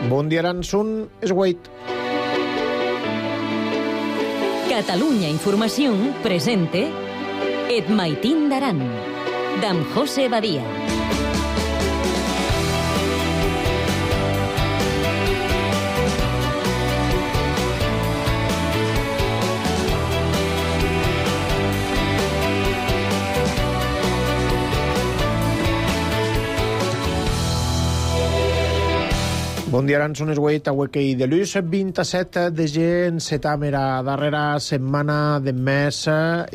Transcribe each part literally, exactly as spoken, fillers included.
Bon dia, Aransun, és Wait. Catalunya Informació presente Et Maitín d'Aran, d'en José Badia. Bon dia, Aransun, és Wait, avui que hi de l'ús, vint-i-set de gener, setam era darrera setmana de mes,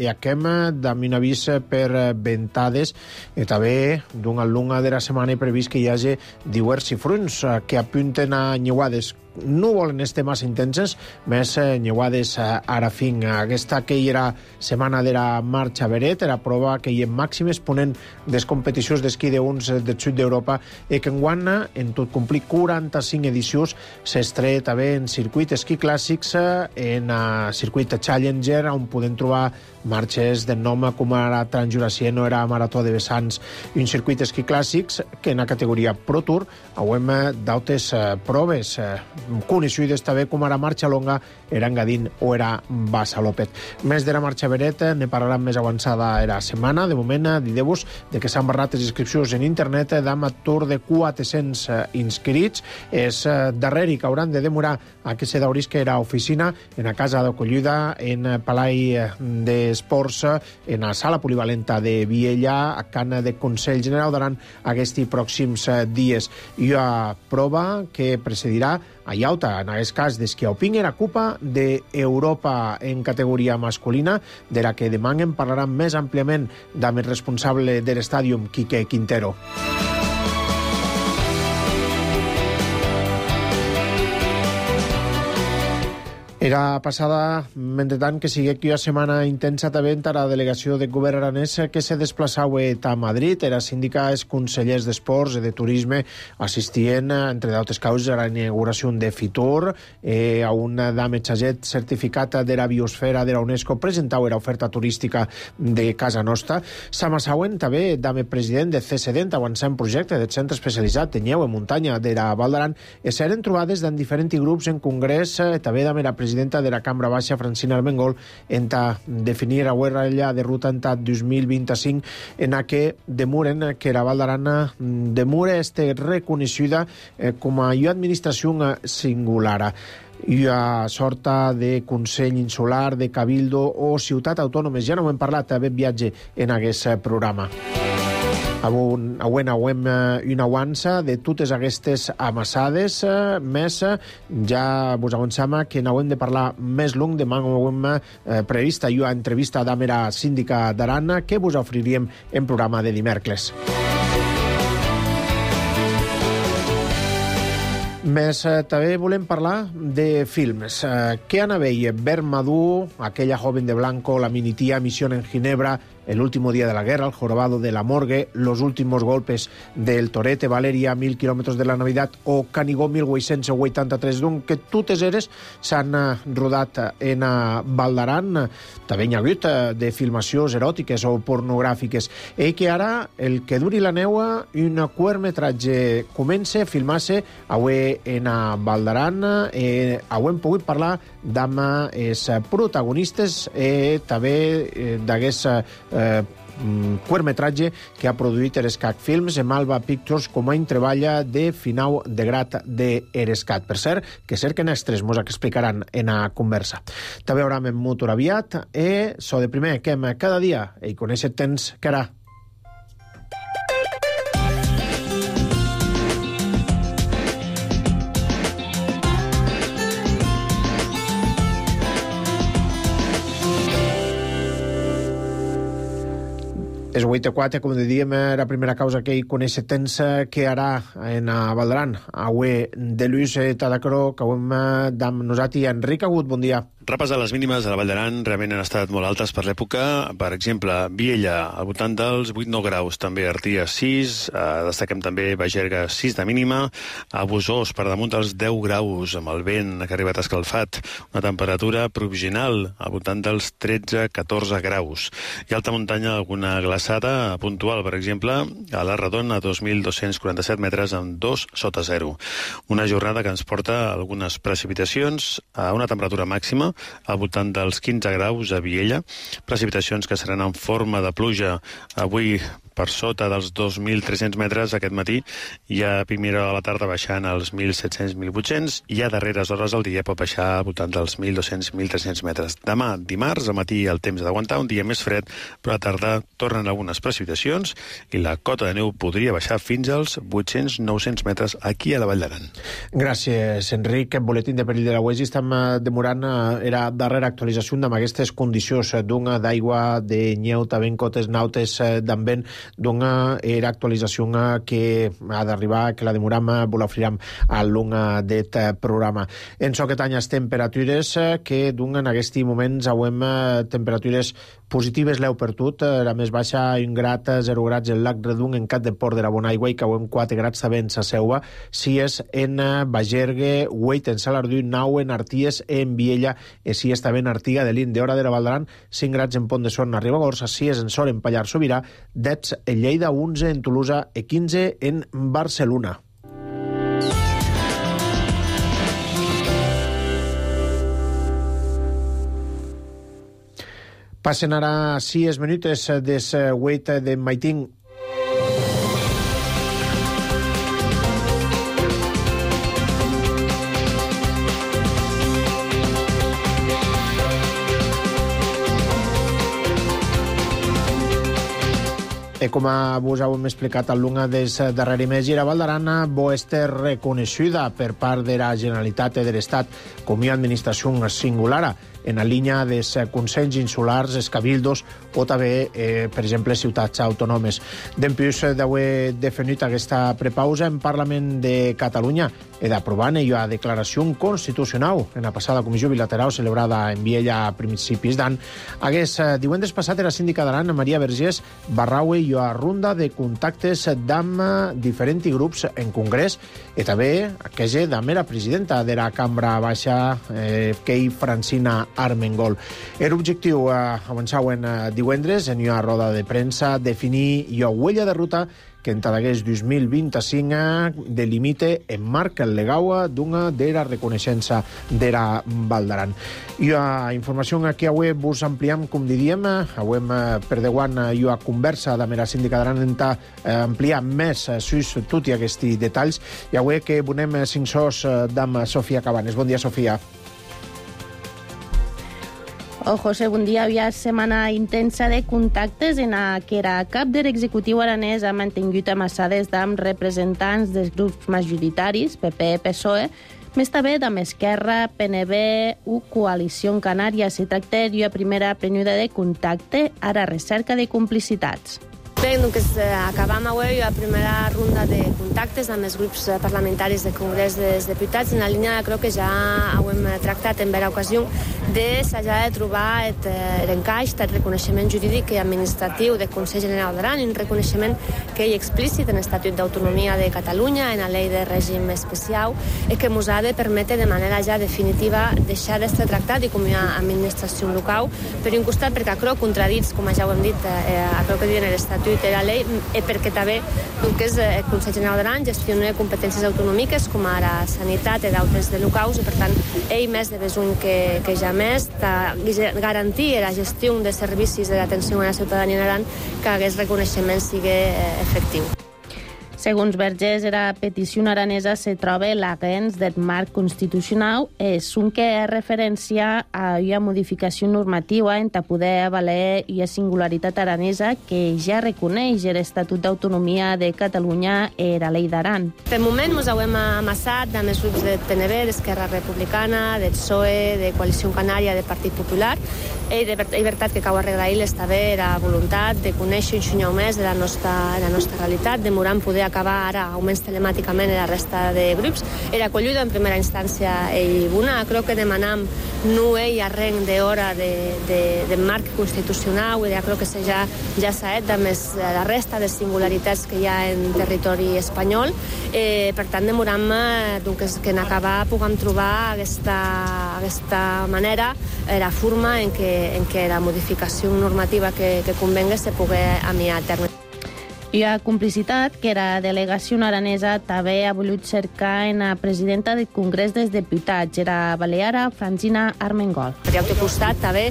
i aquem d'am un avís per ventades, i també d'una lunga de la setmana previst que hi hagi diversos fronts que apunten a nyeuades. No volen estar massa intenses, més nyeuades ara fin. Aquesta que hi era setmana de la marxa veret, era prova que hi ha màximes ponent des competicions d'esquí d'uns del sud d'Europa, i que enguany, en tot complir quaranta-cinc edicions, s'estret també en circuit esquí clàssics, en circuit Challenger, on podem trobar marxes de nom com ara Transjurassic o era Marató de Vessants, un circuit esquí clàssics que en la categoria Pro Tour hauem d'altres proves coneixudes també com ara marxa longa, era Engadín o era Bassalopet. Més de la marxa veret ne parlarem més avançada era setmana. De moment, dideu-vos de que s'han barrat les inscripcions en internet d'am tour de quatre-cents inscrits. És darrere que hauran de demorar a que se d'obrisca era oficina en la casa d'acollida, en Palai d'Esports, en la sala polivalenta de Viella, a Cana de Consell General d'Aran aquests pròxims dies. I a prova que precedirà a Iauta, en aquest cas d'esquí alpí, era Copa d'Europa en categoria masculina, de la que demà en parlarem més àmpliament amb el responsable de l'estàdium, Quique Quintero. Era passada, mentretant, que sigui aquí una setmana intensa també a la delegació de govern aranès que se desplaçava a Madrid. Era síndica, els consellers d'esports i de turisme assistien, entre d'altres causes, a la inauguració de Fitur, eh, a un dametxaget certificat de la biosfera de la UNESCO, presentava l'oferta turística de casa nostra. S'amassauen també dame president de C S D, avançant projecte del centre especialitzat de Nyeu en muntanya de la Val d'Aran, i s'eren trobades en diferents grups en congrés, també dame la presidenta de la Cambra Baixa, Francina Armengol, en definir la guerrilla de ruta en dos mil vint-i-cinc, en la que demuren que la Val d'Aran demura este reconeixida eh, com a administració singular. I a sorta de Consell Insular, de Cabildo o Ciutat Autònomes. Ja no hem parlat, ben viatge en aquest programa. Avui hauem una avança de totes aquestes amassades, més ja vos avançam que n'hauem de parlar més long. Demà hauem prevista una entrevista amb la síndica d'Aran que vos oferiríem en programa de dimecres. Més eh, també volem parlar de films. Eh, què han a veure? Vermadú, Aquella joven de blanco, La minitía, Misión en Ginebra, El último día de la guerra, El jorobado de la morgue, Los últimos golpes del torete, Valeria, Mil kilòmetres de la Navidad o Canigó mil vuit-cents vuitanta-tres, doncs que totes eres s'han rodat en Val d'Aran. També hi ha hagut de filmacions eròtiques o pornogràfiques. I que ara, el que duri la neu, un curtmetratge comença a filmar-se avui en Val d'Aran. Eh, avui hem pogut parlar amb els protagonistes i també eh, d'aquest eh, curtmetratge que ha produït Erescat Films en Alba Pictures com a treballa de final de grat d'Erescat. Per cert, que cerquen extras mos explicaran en la conversa. També haurà en motor aviat i so de primer que hem cada dia i conèixer temps que ara. És vuit a quatre, com dèiem, la primera causa que hi coneix temps que ara en Val d'Aran. Avui de Lluís Tadacro, que avui amb nosaltres Enric Agut, bon dia. Repassar les mínimes a la Vall d'Aran realment han estat molt altes per l'època. Per exemple, Viella, al voltant dels vuit nou graus, també Artia sis, eh, destaquem també Bagerga sis de mínima, a Busós per damunt dels deu graus, amb el vent que ha arribat escalfat, una temperatura provisional al voltant dels tretze catorze graus. I alta muntanya, alguna glaçada puntual, per exemple, a la Redona, a dos mil dos-cents quaranta-set metres amb dos sota zero. Una jornada que ens porta algunes precipitacions a una temperatura màxima al voltant dels quinze graus a Viella, precipitacions que seran en forma de pluja avui per sota dels dos mil tres-cents metres aquest matí, i a primera hora de la tarda baixant als mil set-cents - mil vuit-cents, i a darreres hores del dia pot baixar al voltant dels mil dos-cents - mil tres-cents metres. Demà, dimarts, al matí el temps d'aguantar, un dia més fred, però a la tarda tornen algunes precipitacions i la cota de neu podria baixar fins als vuit-cents - nou-cents metres aquí a la Vall d'Aran. Gràcies, Enric. El boletín de perill de la U E S I estem demorant, era darrera actualització amb aquestes condicions d'una d'aigua, de nyeu, també cotes nautes d'ambent, d'una era actualització que ha d'arribar, que la demoram, vol oferir a l'un d'aquest programa. En so que tanyes temperatures que d'un en aquests moments avem temperatures positives l'heu per tot, la més baixa un grat, zero grats en Lac Redung, en Cat de Port de la Bonaigua, i que avem quatre grats també en Sa Seua, sis en Bagergue, vuit en Salardú, nou en Arties, en Viella, i sis també en Artiga de l'Inde, hora de la Val d'Aran, cinc grats en Pont de Son, a Ribagorça, sis en Sor, en Pallar Sobirà, deu en Lleida, onze en Tolosa i quinze en Barcelona. Passen ara sis minuts des vuit de Maitín. E com vos heu explicat al lunga des darrere mes, i la Val d'Aran bo este reconeixuda per part de la Generalitat de l'Estat com una administració singulara en la línia dels consells insulars, els cabildos o també, eh, per exemple, ciutats autònomes. D'empús d'haver definit aquesta prepausa en Parlament de Catalunya i d'aprovant la declaració constitucional en la passada comissió bilateral celebrada en Viella a principis d'any. Aquest divendres passat era síndica d'Aran, Maria Vergés, barraue i a ronda de contactes amb diferents grups en congrés i també aquella també la presidenta de la Cambra Baixa, eh, Kei Francina Armengol. Era objectiu eh, avançar en eh, divendres en una roda de premsa definir la huella de ruta que en Tadagués dos mil vint-i-cinc delimite en marc legal d'una de la reconeixença de la Val d'Aran. I la informació que avui vos ampliem, com diríem, avui per deuant i la conversa de la síndica d'Aran en ampliar més sus tots aquests detalls, i avui que donem cinc sos d'am Sofia Cabanes. Bon dia, Sofia. Oh, José, bon dia. Havia setmana intensa de contactes en què era cap de l'executiu aranès ha mantingut amassades amb representants dels grups majoritaris, P P, P S O E, més també amb Esquerra, P N B u Coalició Canària. Se tracta d'una primera període de contacte a la recerca de complicitats. Bé, doncs acabam avui la primera ronda de contactes amb els grups parlamentaris del Congrés dels Diputats en la línia, crec que ja ho hem tractat en vera ocasió, de s'ha de trobar l'encaix del reconeixement jurídic i administratiu del Consell General d'Aran, un reconeixement que hi explícit en l'Estatut d'Autonomia de Catalunya, en la llei de règim especial, i que ens ha de permetre de manera ja definitiva deixar d'estar tractat i com una administració local, per un costat perquè crec contradits, com ja ho hem dit, a crec que diuen l'Estatut de la llei, i perquè també el que és el Consell General d'Aran gestiona competències autonòmiques com ara sanitat i d'altres de locals, i per tant ell més de besuny que, que ja més de garantir la gestió de servicis de l'atenció a la ciutadania en Aran, que aquest reconeixement sigui efectiu. Segons Vergés, la petició aranesa se troba l'agens del marc constitucional, és un que és referència a una modificació normativa en poder valer i la singularitat aranesa que ja reconeix l'Estatut d'Autonomia de Catalunya i la llei d'Aran. Per moment ens hem amassat amb els grups de P N B, d'Esquerra Republicana, del P S O E, de Coalició Canària, del Partit Popular, i de veritat que cau agrair està bé la voluntat de conèixer un xunyau més de la nostra, de la nostra realitat, demorant poder acabar ara almenys telemàticament la resta de grups. Era acolluda en primera instància i una, crec que demanam no hi arrenc d'hora de, de, de marc constitucional, i crec que ja, ja s'ha fet més la resta de singularitats que hi ha en territori espanyol. Eh, per tant, demoram doncs, que en acabar puguem trobar aquesta, aquesta manera, eh, la forma en què, en què la modificació normativa que, que convenga se pugui amiar a terme. I a complicitat que la delegació aranesa també ha volgut cercar en la presidenta del Congrés dels Diputats, era baleara Francina Armengol. Per al teu costat, també,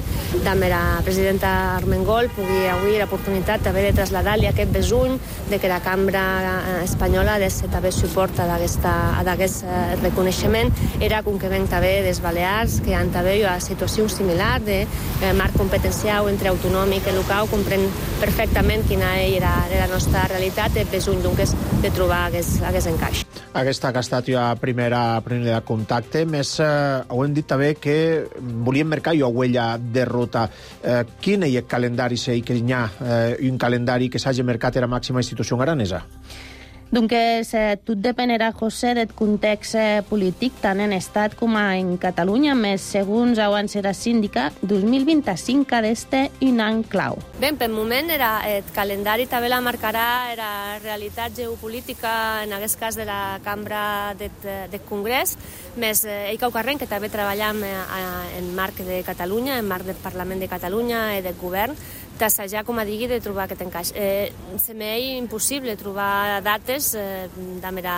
també la presidenta Armengol pugui avui l'oportunitat també de traslladar-li aquest besuny de que la cambra espanyola ha de ser també suport a aquest reconeixement. Era com que ven també dels Balears, que han també una situació similar de marc competencial entre autonòmic i local, comprèn perfectament quina era la nostra la realitat és besuny doncs de trobar aquest encaix. Aquesta que ha estat la primera, primera contacte, més eh, ho hem dit també que volíem marcar una huella de ruta. Eh, quin és el calendari, si que hi ha eh, un calendari que s'hagi marcat a la màxima institució aranesa? Doncs eh, tot dependerà, José, del context eh, polític, tant en Estat com en Catalunya, més segons abans era síndica, dos mil vint-i-cinc ha d'estar un any clau. Bé, per moment era, el calendari també la marcarà la realitat geopolítica, en aquest cas de la cambra del de Congrés, més eh, ell cau carrer que també treballem eh, en marc de Catalunya, en marc del Parlament de Catalunya i del govern, d'assajar, com a digui, de trobar aquest encaix. Eh, se m'és impossible trobar dates eh, de la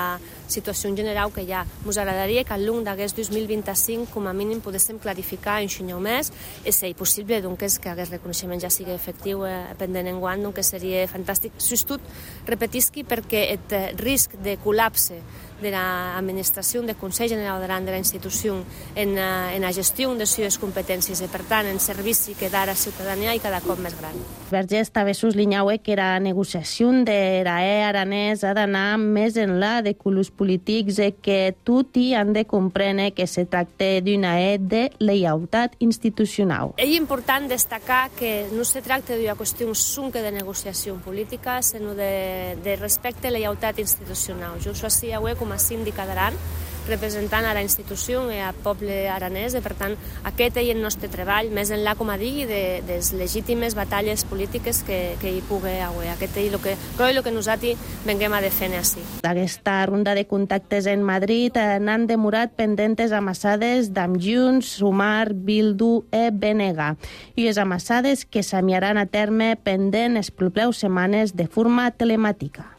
situació en general que hi ha. Ens agradaria que al llarg d'aquest dos mil vint-i-cinc, com a mínim, poguéssim clarificar un xunyau més, i si és possible doncs, que aquest reconeixement ja sigui efectiu eh, pendent en guany, doncs seria fantàstic. Sustot, repetisqui, perquè el risc de col·lapse de l'administració del Consell General d'Aran, de la institució, en, en la gestió de les seves competències i, per tant, en servici que dà a la ciutadania i cada cop més gran. Vergés també sublinhava que la negociació de l'E aranès ha d'anar més enllà de colors polítics i que tot hi han de comprendre que se tracta d'una E de lleialtat institucional. És important destacar que no se tracta d'una qüestió sunca de negociació política, sinó de, de respecte a lleialtat institucional. Jo això sí, avui, com a síndica d'Aran, representant a la institució i al poble aranès, i per tant aquest és el nostre treball, més enllà, com a digui, de, de les legítimes batalles polítiques que, que hi pugui haver. Aquest és el que, crec, el que nosaltres venguem a defendre així. D'aquesta ronda de contactes en Madrid n'han demorat pendentes amassades d'Amb Junts, Sumar, Bildu i B N G, i les amassades que s'amiaran a terme pendent les properes setmanes de forma telemàtica.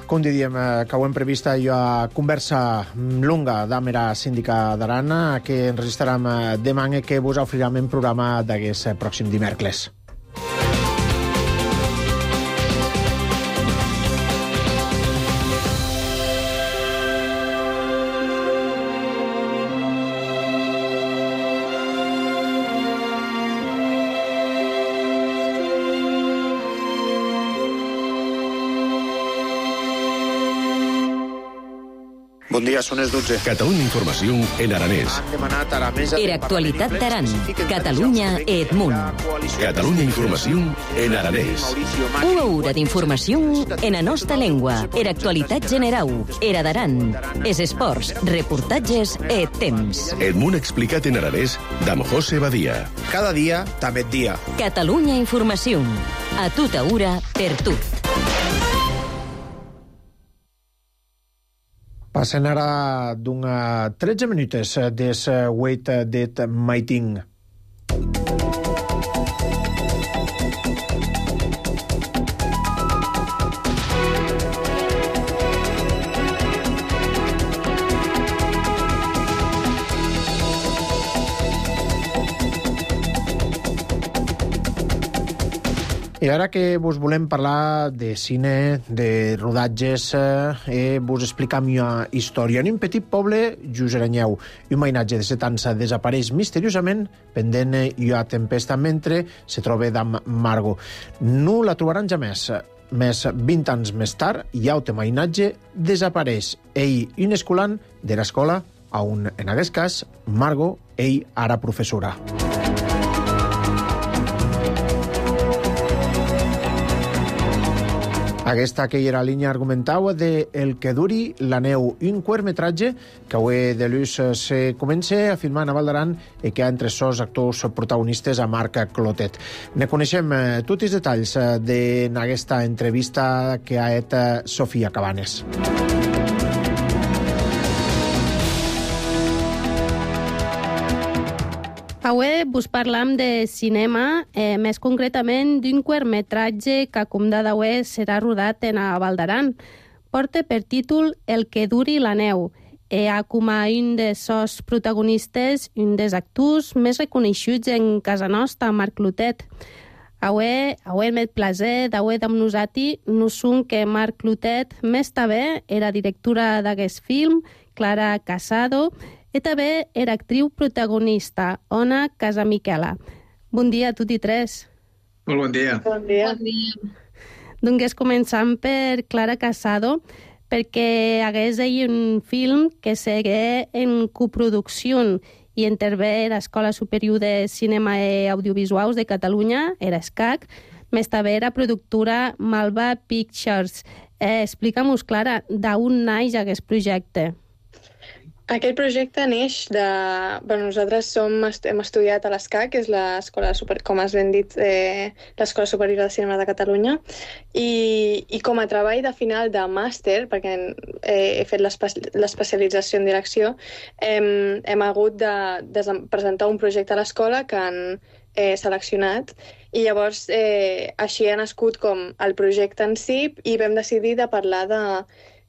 Com diríem, que ho hem prevista una conversa longa amb la síndica d'Aran, que enregistrarem demà i que vos oferirem en programa d'aquest pròxim dimecres. Bon dia, són les dotze. Catalunya Informació en aranès. Han demanat a la mesa... Era actualitat d'Aran, Catalunya i Edmunt. Catalunya Informació en aranès. Una hora d'informació en la nostra llengua. Era actualitat general. Era d'Aran. Es esports, reportatges i temps. Edmunt explicat en aranès d'Amb José Badia. Cada dia, també et dia. Catalunya Informació. A tota hora, per tot. Passen ara d'una tretze minutes des huit det maiting. I ara que vos volem parlar de cine, de rodatges, eh, vos explicar una història. En un petit poble, just Aranyeu, un mainatge de set anys desapareix misteriosament pendent una tempesta mentre se troba d'am Margo. No la trobaran ja més. Més vint anys més tard, hi ha un mainatge desapareix. Ell, un escolant de l'escola, on en aquest cas, Margo, ell ara professora. Aquesta que era la línia argumental de El que duri la neu, un curtmetratge que avui de l'ús se comença a filmar a Val d'Aran i que ha entre sos actors protagonistes a Marc Clotet. Ne coneixem tots els detalls d'aquesta entrevista que ha fet Sofia Cabanes. Avui vos parlam de cinema, eh, més concretament d'un curtmetratge que, com de d'avui, serà rodat en a Val d'Aran. Porta per títol El que duri la neu. Eh, ha com a un dels seus protagonistes, un dels actors més reconeixuts en casa nostra, Marc Clotet. Avui, avui el meu plaer d'avui amb nosaltres no són que Marc Clotet més també era directora d'aquest film, Clara Casado, i també era actriu protagonista, Ona Casamiquela. Bon dia a tots i tres. Molt bon dia. Bon dia. Bon dia. Doncs començam per Clara Casado, perquè hagués ell un film que segué en coproducció i intervé l'Escola Superior de Cinema i Audiovisuals de Catalunya, era ESCAC, més també era productora Malva Pictures. Eh, Explica-nos, Clara, d'on naix aquest projecte? Aquest projecte neix de... Bueno, nosaltres som, hem estudiat a l'ESCAC, que és l'escola, super... com has ben dit, eh, l'Escola Superior de Cinema de Catalunya, i, i com a treball de final de màster, perquè eh, he fet l'especialització en direcció, hem, hem hagut de, de presentar un projecte a l'escola que han eh, seleccionat, i llavors eh, així ha nascut com el projecte en si, i vam decidir de parlar de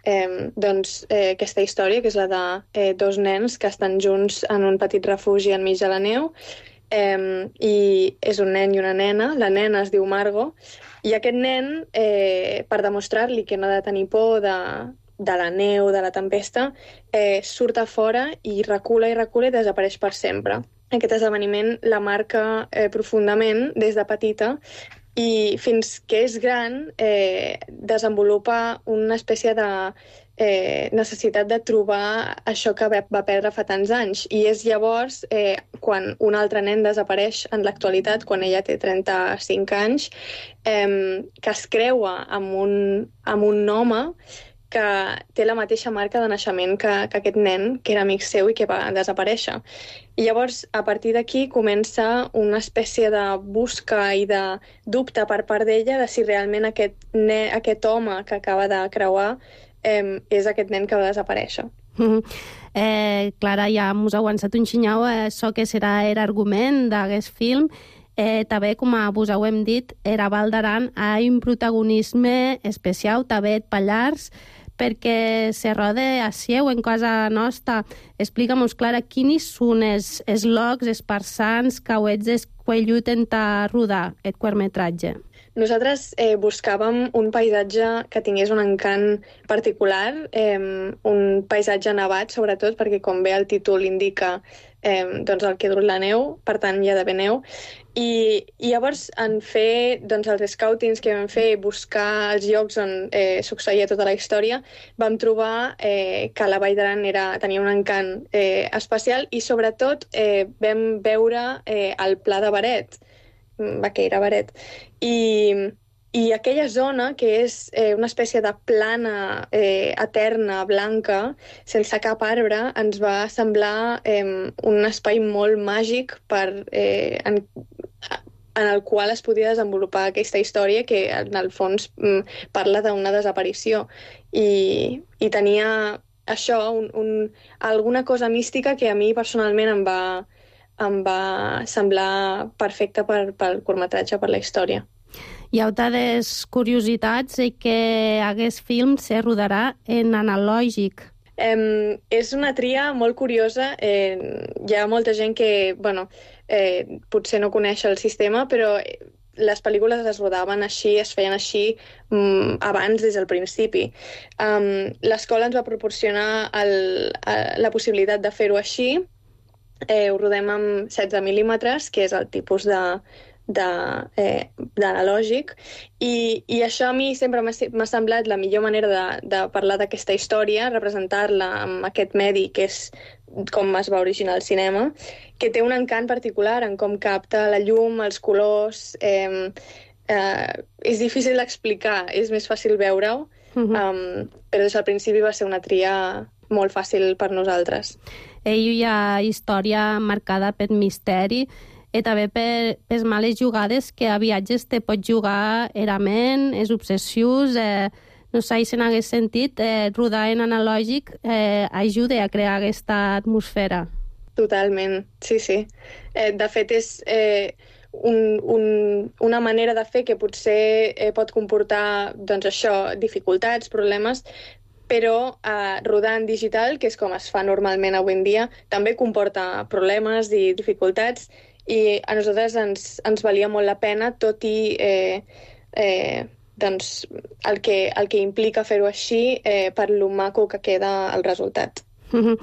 Eh, doncs, eh, aquesta història, que és la de eh, dos nens que estan junts en un petit refugi enmig de la neu, eh, i és un nen i una nena. La nena es diu Margo, i aquest nen, eh, per demostrar-li que no ha de tenir por de, de la neu, de la tempesta, eh, surt a fora i recula i recula i desapareix per sempre. Aquest esdeveniment la marca eh, profundament des de petita, i fins que és gran eh, desenvolupa una espècie de eh, necessitat de trobar això que va perdre fa tants anys. I és llavors, eh, quan un altre nen desapareix en l'actualitat, quan ella té trenta-cinc anys, eh, que es creua amb un, amb un home que té la mateixa marca de naixement que, que aquest nen, que era amic seu i que va desaparèixer. I llavors, a partir d'aquí, comença una espècie de busca i de dubte per part d'ella de si realment aquest, ne, aquest home que acaba de creuar eh, és aquest nen que va desaparèixer. Mm-hmm. eh, Clara, ja mos ha avançat un xinyau, eh, això que serà l'argument d'aquest film. Eh, també, com vos ho hem dit, era Val d'Aran ha un protagonisme especial, també et Pallars, perquè se roda a Sieu, en casa nostra. Explica-nos, Clara, quins són els, els llocs, els parsans que heu escollit en rodar aquest curtmetratge? Nosaltres eh, buscàvem un paisatge que tingués un encant particular, eh, un paisatge nevat, sobretot, perquè, com bé el títol indica, eh, doncs el que dura la neu, per tant hi ha d'haver neu. I, i llavors, en fer doncs, els scoutings que vam fer, buscar els llocs on eh, succeïa tota la història, vam trobar eh, que la Vall d'Aran era, tenia un encant eh, especial, i sobretot eh, vam veure eh, el Pla de Baret, Baqueira, Baret, i, i aquella zona, que és eh, una espècie de plana eh, eterna, blanca, sense cap arbre, ens va semblar eh, un espai molt màgic per, eh, en, en el qual es podia desenvolupar aquesta història que, en el fons, parla d'una desaparició. I, i tenia això, un, un, alguna cosa mística que a mi personalment em va, em va semblar perfecte per, pel curtmetratge, per la història. Hi ha altres curiositats i que aquest film se rodarà en analògic. Eh, és una tria molt curiosa. Eh, hi ha molta gent que, bueno, eh, potser no coneix el sistema, però les pel·lícules es rodaven així, es feien així um, abans des del principi. Um, l'escola ens va proporcionar el, la possibilitat de fer-ho així. Eh, ho rodem amb setze mil·límetres, que és el tipus de d'analògic, eh, i, i això a mi sempre m'ha semblat la millor manera de, de parlar d'aquesta història, representar-la amb aquest medi que és com es va originar el cinema, que té un encant particular en com capta la llum, els colors. Eh, eh, és difícil d'explicar, és més fàcil veure-ho, uh-huh. um, però des del principi va ser una tria molt fàcil per nosaltres. Ell hi ha història marcada per misteri i també per les males jugades que a viatges te pot jugar erament, és obsessius, eh, no sé si en hagués sentit, eh, rodar en analògic eh, ajuda a crear aquesta atmosfera. Totalment, sí, sí. Eh, de fet, és eh, un, un, una manera de fer que potser eh, pot comportar, doncs això, dificultats, problemes, però eh, rodar en digital, que és com es fa normalment avui en dia, també comporta problemes i dificultats, i a nosaltres ens, ens valia molt la pena, tot i eh, eh, doncs, el, que, el que implica fer-ho així eh, per lo maco que queda el resultat. Mm-hmm.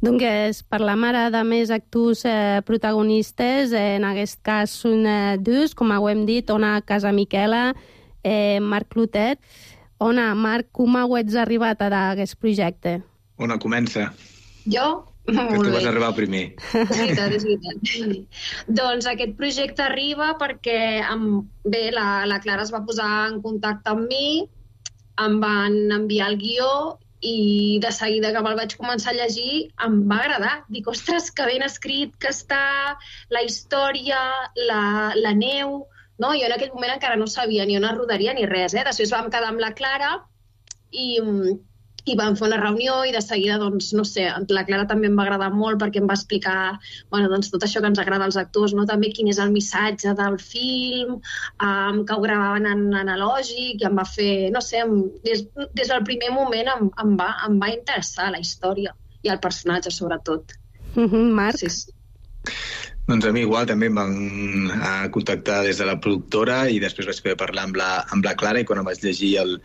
Doncs parlam ara de més actors eh, protagonistes, eh, en aquest cas són eh, dos, com ho hem dit, Ona Casamiquela, eh, Marc Clotet. Ona, Marc, com heu arribat a aquest projecte? Ona, comença. Jo? Que tu vas arribar primer. És veritat, és veritat. Doncs aquest projecte arriba perquè amb, bé, la, la Clara es va posar en contacte amb mi, em van enviar el guió i de seguida que me'l vaig començar a llegir em va agradar. Dic, ostres, que ben escrit que està, la història, la, la neu... No? Jo en aquell moment encara no sabia ni on es rodaria ni res. Eh? Després vam quedar amb la Clara i... i vam fer una reunió i de seguida, doncs, no sé, la Clara també em va agradar molt perquè em va explicar, bueno, doncs, tot això que ens agrada als actors, no? També quin és el missatge del film, um, que ho gravaven en analògic, i em va fer, no sé, em, des, des del primer moment em, em, va, em va interessar la història i el personatge, sobretot. Mm-hmm, Marc? Sí, sí. Doncs a mi igual també em van uh, contactar des de la productora i després vaig poder parlar amb la, amb la Clara, i quan em vaig llegir el,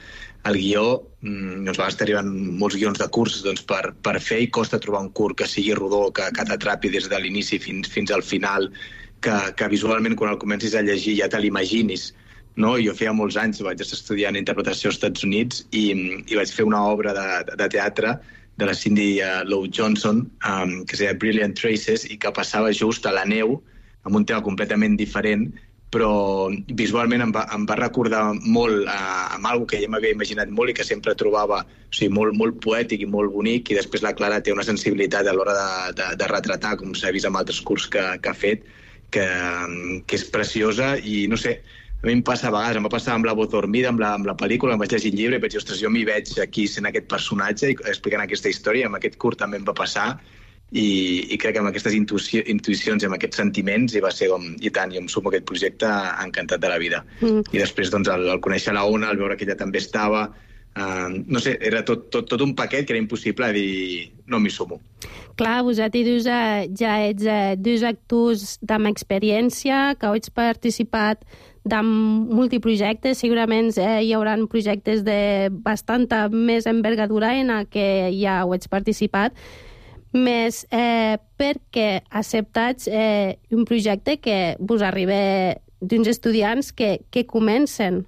el guió, doncs va estar arribant molts guions de curs doncs, per, per fer, i costa trobar un curt que sigui rodó, que, que t'atrapi des de l'inici fins, fins al final, que, que visualment quan el comencis a llegir ja te l'imaginis. No? Jo feia molts anys, vaig estar estudiant interpretació als Estats Units i, i vaig fer una obra de, de teatre de la Cindy uh, Lou Johnson, um, que es deia Brilliant Traces, i que passava just a la neu, amb un tema completament diferent, però visualment em va, em va recordar molt uh, amb alguna que ja m'havia imaginat molt i que sempre trobava, o sigui, molt, molt poètic i molt bonic, i després la Clara té una sensibilitat a l'hora de, de, de retratar, com s'ha vist amb altres curs que, que ha fet, que, que és preciosa, i no sé, a mi em passa a vegades, em va passar amb La voz dormida, amb la, amb la pel·lícula, em vaig llegir el llibre i vaig dir, ostres, jo m'hi veig aquí sent aquest personatge i explicant aquesta història, amb aquest curt també em va passar, i, i crec que amb aquestes intuïci, intuïcions i amb aquests sentiments i va ser com, i tant, jo em sumo a aquest projecte encantat de la vida. Mm. I després, doncs, el, el conèixer la Ona, el veure que ella també estava, uh, no sé, era tot, tot, tot un paquet que era impossible dir, no m'hi sumo. Clar, vosaltres eh, ja ets eh, dos actors amb experiència, que heu participat de multiprojectes, segurament eh, hi haurà projectes de bastanta més envergadura en què ja heu participat, més eh, perquè acceptats eh, un projecte que vos arriba d'uns estudiants que, que comencen.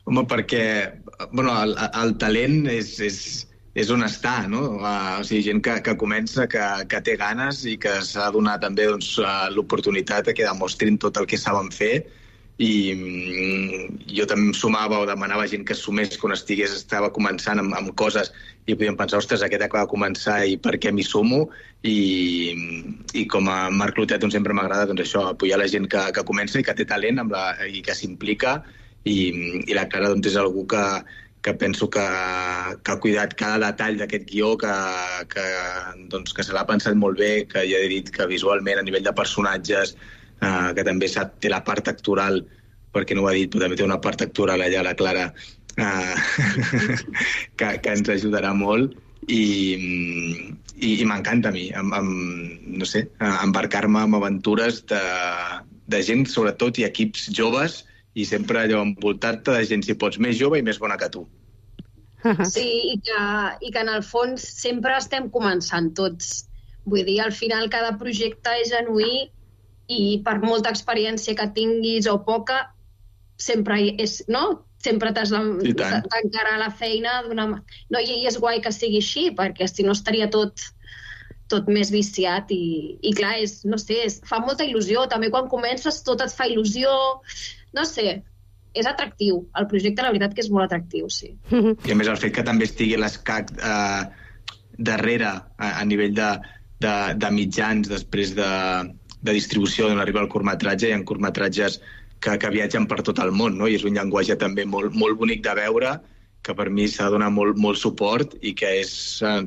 Home, perquè bueno, el, el talent és, és, és on està, no? Uh, o sigui, gent que, que comença, que, que té ganes i que s'ha de donar també doncs, uh, l'oportunitat que demostrin tot el que saben fer, i mm, jo també em sumava o demanava gent que sumés quan estigués, estava començant amb, amb coses i podíem pensar, ostres, aquest acaba de començar i per què m'hi sumo, i, i com a Marc Clotet doncs, sempre m'agrada doncs, això, apoyar la gent que, que comença i que té talent amb la, i que s'implica, i, i la Clara doncs, és algú que, que penso que, que ha cuidat cada detall d'aquest guió, que, que, doncs, que se l'ha pensat molt bé, que ja he dit que visualment a nivell de personatges, Uh, que també sap, té la part actoral, perquè no ho ha dit, però també té una part actoral allà, la Clara, uh, que, que ens ajudarà molt, i, i, i m'encanta a mi, em, em, no sé, embarcar-me en aventures de, de gent, sobretot, i equips joves, i sempre allò envoltar-te de gent, si pots, més jove i més bona que tu. Sí, i que, i que en el fons sempre estem començant tots. Vull dir, al final cada projecte és genuí i per molta experiència que tinguis o poca, sempre és, no? Sempre t'has d'encarar la feina d'una... No, i és guai que sigui així, perquè si no estaria tot, tot més viciat i, i clar, és, no sé, és, fa molta il·lusió. També quan comences tot et fa il·lusió. No sé, és atractiu. El projecte, la veritat, que és molt atractiu, sí. I a més el fet que també estigui l'ESCAC eh, darrere a, a nivell de, de, de mitjans després de, de distribució d'on arriba el curtmetratge, hi ha curtmetratges que, que viatgen per tot el món, no? I és un llenguatge també molt, molt bonic de veure, que per mi s'ha de donar molt, molt suport i que és,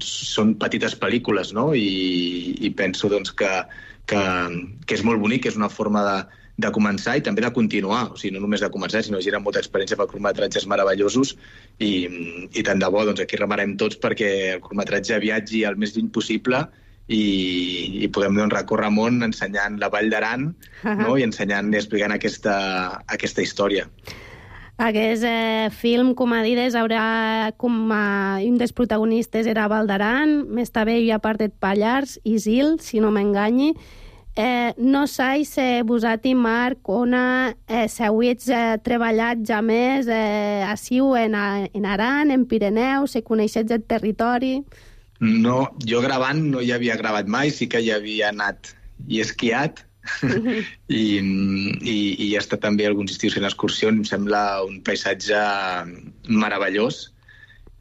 són petites pel·lícules, no? I, i penso doncs, que, que, que és molt bonic, que és una forma de, de començar i també de continuar. O sigui, no només de començar, sinó que gira molta experiència per curtmetratges meravellosos i, i tant de bo, doncs aquí remarem tots perquè el curtmetratge viatgi el més lluny possible i, i podem doncs, recórrer món ensenyant la Vall d'Aran, no? I ensenyant i explicant aquesta, aquesta història. Aquest eh, film, com a dides, haurà com a, un dels protagonistes era Val d'Aran, més també hi ha part de Pallars, Isil, si no m'enganyi. Eh, no sais eh, vosat i Marc, ona eh, s'hauets eh, treballat ja més eh, assiu en, en Aran, en Pirineu, se coneixets el territori... No, jo gravant no hi havia gravat mai, sí que hi havia anat i esquiat i, i, i he estat també a alguns estius fent excursions, em sembla un paisatge meravellós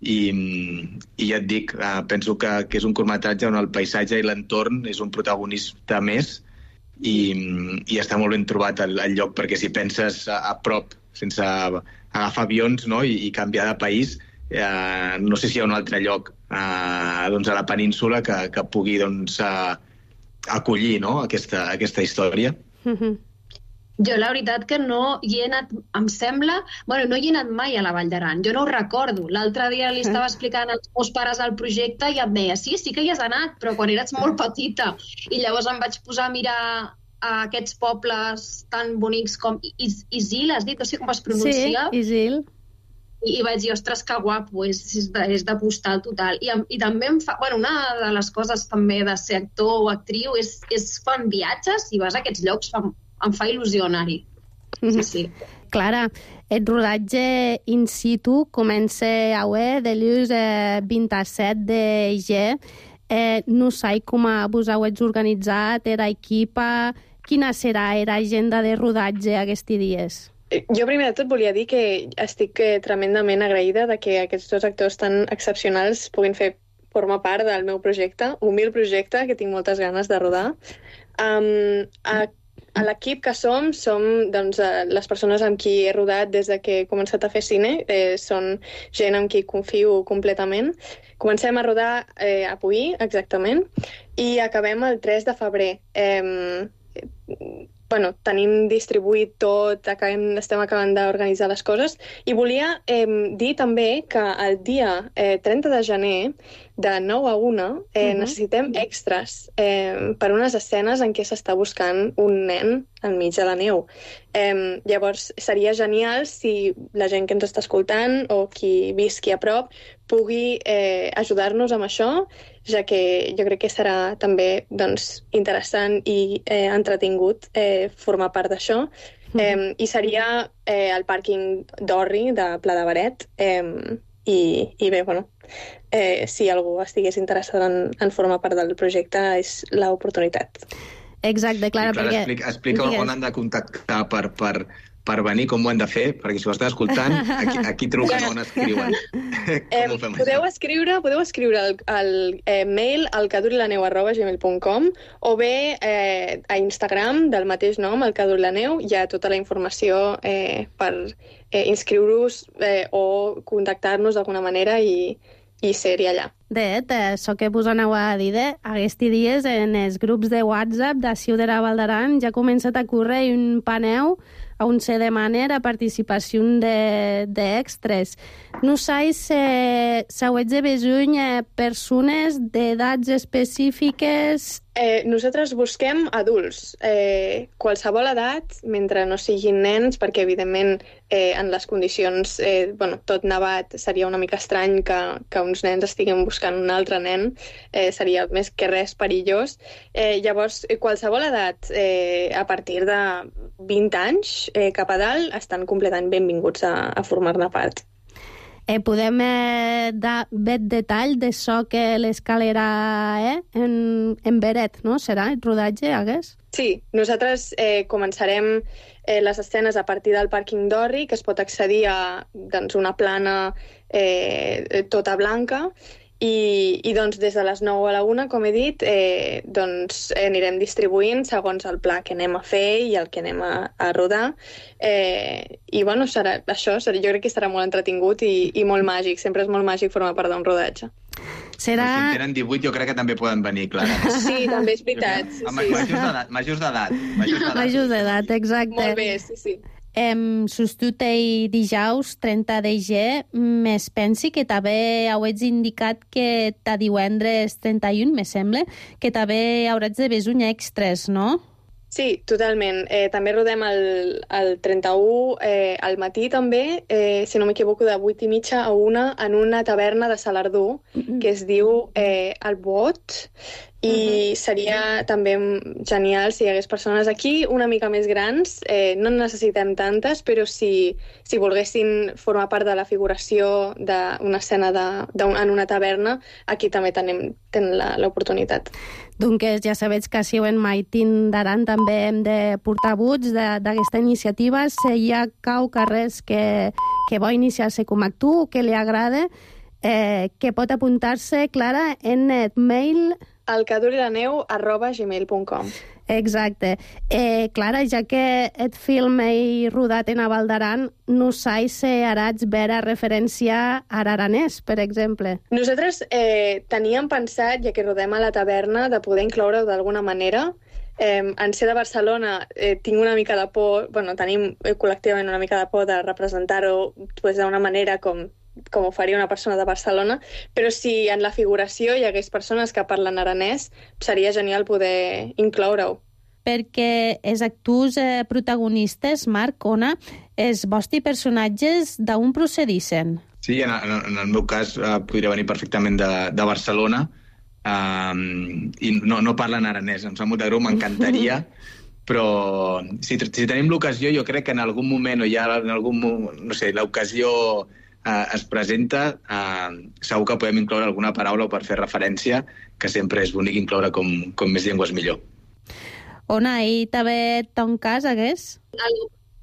i, i ja et dic, penso que, que és un curtmetratge on el paisatge i l'entorn és un protagonista més i, i està molt ben trobat el, el lloc, perquè si penses a, a prop, sense agafar avions, no? I, i canviar de país, eh, no sé si hi ha un altre lloc eh, doncs a la península que, que pugui doncs, eh, acollir, no? aquesta, aquesta història. Mm-hmm. Jo la veritat que no hi he anat, em sembla... Bueno, no hi he anat mai a la Vall d'Aran, jo no ho recordo. L'altre dia li estava explicant als meus pares el projecte i em deia, sí, sí que hi has anat, però quan eres molt petita. I llavors em vaig posar a mirar a aquests pobles tan bonics com Is Isil, has dit? No sé com es pronuncia. Sí, Isil. I, i vaig dir, ostres, que guapo, és, és, de, és de postal total. I, i també em fa... Bueno, una de les coses també de ser actor o actriu és, és quan viatges i vas a aquests llocs, fa, em fa il·lusió anar-hi. Sí, sí. Clara, el rodatge in situ comença avui de l'ús eh, vint-i-set de gener. Eh, no sé com vos heu organitzat, era equipa, quina serà l'agenda de rodatge aquests dies? Jo primer de tot volia dir que estic tremendament agraïda de que aquests dos actors tan excepcionals puguin fer formar part del meu projecte, humil projecte, que tinc moltes ganes de rodar. Um, a, a l'equip que som, som doncs, les persones amb qui he rodat des de que he començat a fer cine, eh, són gent amb qui confio completament. Comencem a rodar eh, avui, exactament, i acabem el tres de febrer. Eh, bueno, tenim distribuït tot, acabem, estem acabant d'organitzar les coses, i volia eh, dir també que el dia eh, trenta de gener, de nou a una, eh, uh-huh. necessitem extras eh, per unes escenes en què s'està buscant un nen enmig de la neu. Eh, llavors, seria genial si la gent que ens està escoltant o qui visqui a prop pugui eh, ajudar-nos amb això, ja que jo crec que serà també doncs, interessant i eh, entretingut eh, formar part d'això. Mm-hmm. Eh, I seria eh, el pàrquing d'Orri, de Pla de Beret, eh, i, i bé, bueno, eh, si algú estigués interessat en, en formar part del projecte, és l'oportunitat. Exacte, Clara, Clara perquè... Explica, explica on han de contactar per, per, per venir, com ho han de fer, perquè si ho estàs escoltant, aquí, aquí truquen on escriuen. Eh, podeu escriure, podeu escriure el, el eh, mail al cadurilaneu arroba gmail punt com o bé eh, a Instagram del mateix nom, el cadurilaneu, hi ha tota la informació eh, per eh, inscriure-us eh, o contactar-nos d'alguna manera i, i ser-hi allà. De, això que vos aneu a dir, de, aquests dies en els grups de WhatsApp de Ciu de la Val d'Aran ja ha començat a córrer un paneu on se demana la participació d'extres. No sais eh, s'hauets de besuny eh, persones d'edats específiques. Eh, nosaltres busquem adults, eh, qualsevol edat, mentre no siguin nens, perquè evidentment eh, en les condicions, eh, bueno, tot nevat, seria una mica estrany que, que uns nens estiguin buscant un altre nen, eh, seria més que res perillós. Eh, llavors, qualsevol edat, eh, a partir de vint anys eh, cap a dalt, estan completament benvinguts a, a formar-ne part. Eh, podem eh, dar bet detall de so que l'escalera eh, en, en Beret, no? Serà el rodatge, hagués? Sí, nosaltres eh, començarem eh, les escenes a partir del pàrquing d'Orri, que es pot accedir a doncs, una plana eh, tota blanca, i, i doncs, des de les nou a la una, com he dit, eh, doncs, anirem distribuint segons el pla que anem a fer i el que anem a, a rodar. Eh, I bueno, serà, això serà, jo crec que serà molt entretingut i, i molt màgic. Sempre és molt màgic formar part d'un rodatge. Serà... Si en tenen divuit, jo crec que també poden venir, Clara. Sí, també és veritat. Sí, sí. Majors d'edat. Majors d'edat, exacte. Molt bé, sí, sí. Em sostutei dijous trenta de gener, més pensi que també hauets indicat que ta divendres trenta i u, me sembla, que també hauràs de besuny extres, no? Sí, totalment. Eh, també rodem el, el trenta-u eh, al matí també, eh, si no m'equivoco, de vuit i mitja a una en una taverna de Salardú, mm-hmm. que es diu eh, El Bot, i seria també genial si hi hagués persones aquí una mica més grans. Eh, no necessitem tantes, però si, si volguessin formar part de la figuració d'una escena de, de, en una taverna, aquí també tenim, tenen l'oportunitat. Doncs ja sabeu que si en Maitín d'Aran també hem de portar buts d'aquesta iniciativa. Si hi ha cau carrers que, que vol iniciar-se com a tu, que li agrada, eh, que pot apuntar-se, Clara, en el mail... alcadurilaneu arroba gmail punt com. Exacte. Eh, Clara, ja que et film he rodat en Val d'Aran, no sais si haràs veure referència a araranès, per exemple. Nosaltres eh, teníem pensat, ja que rodem a la taverna, de poder incloure-ho d'alguna manera. Eh, en ser de Barcelona eh, tinc una mica de por, bueno, tenim eh, col·lectivament una mica de por de representar-ho pues, d'una manera com com ho faria una persona de Barcelona, però si en la figuració hi hagués persones que parlen aranès, seria genial poder incloure-ho. Perquè els actors eh, protagonistes, Marc, Ona, els vostres personatges d'on procedissen? Sí, en, en, en el meu cas eh, podria venir perfectament de, de Barcelona eh, i no, no parlen aranès. Em sap molt de greu, m'encantaria, però si, si tenim l'ocasió, jo crec que en algun moment o ja en algun no sé, l'ocasió Uh, es presenta, uh, segur que podem incloure alguna paraula per fer referència, que sempre és bonic incloure com, com més llengües millor. Ona, i també ton cas, hagués? El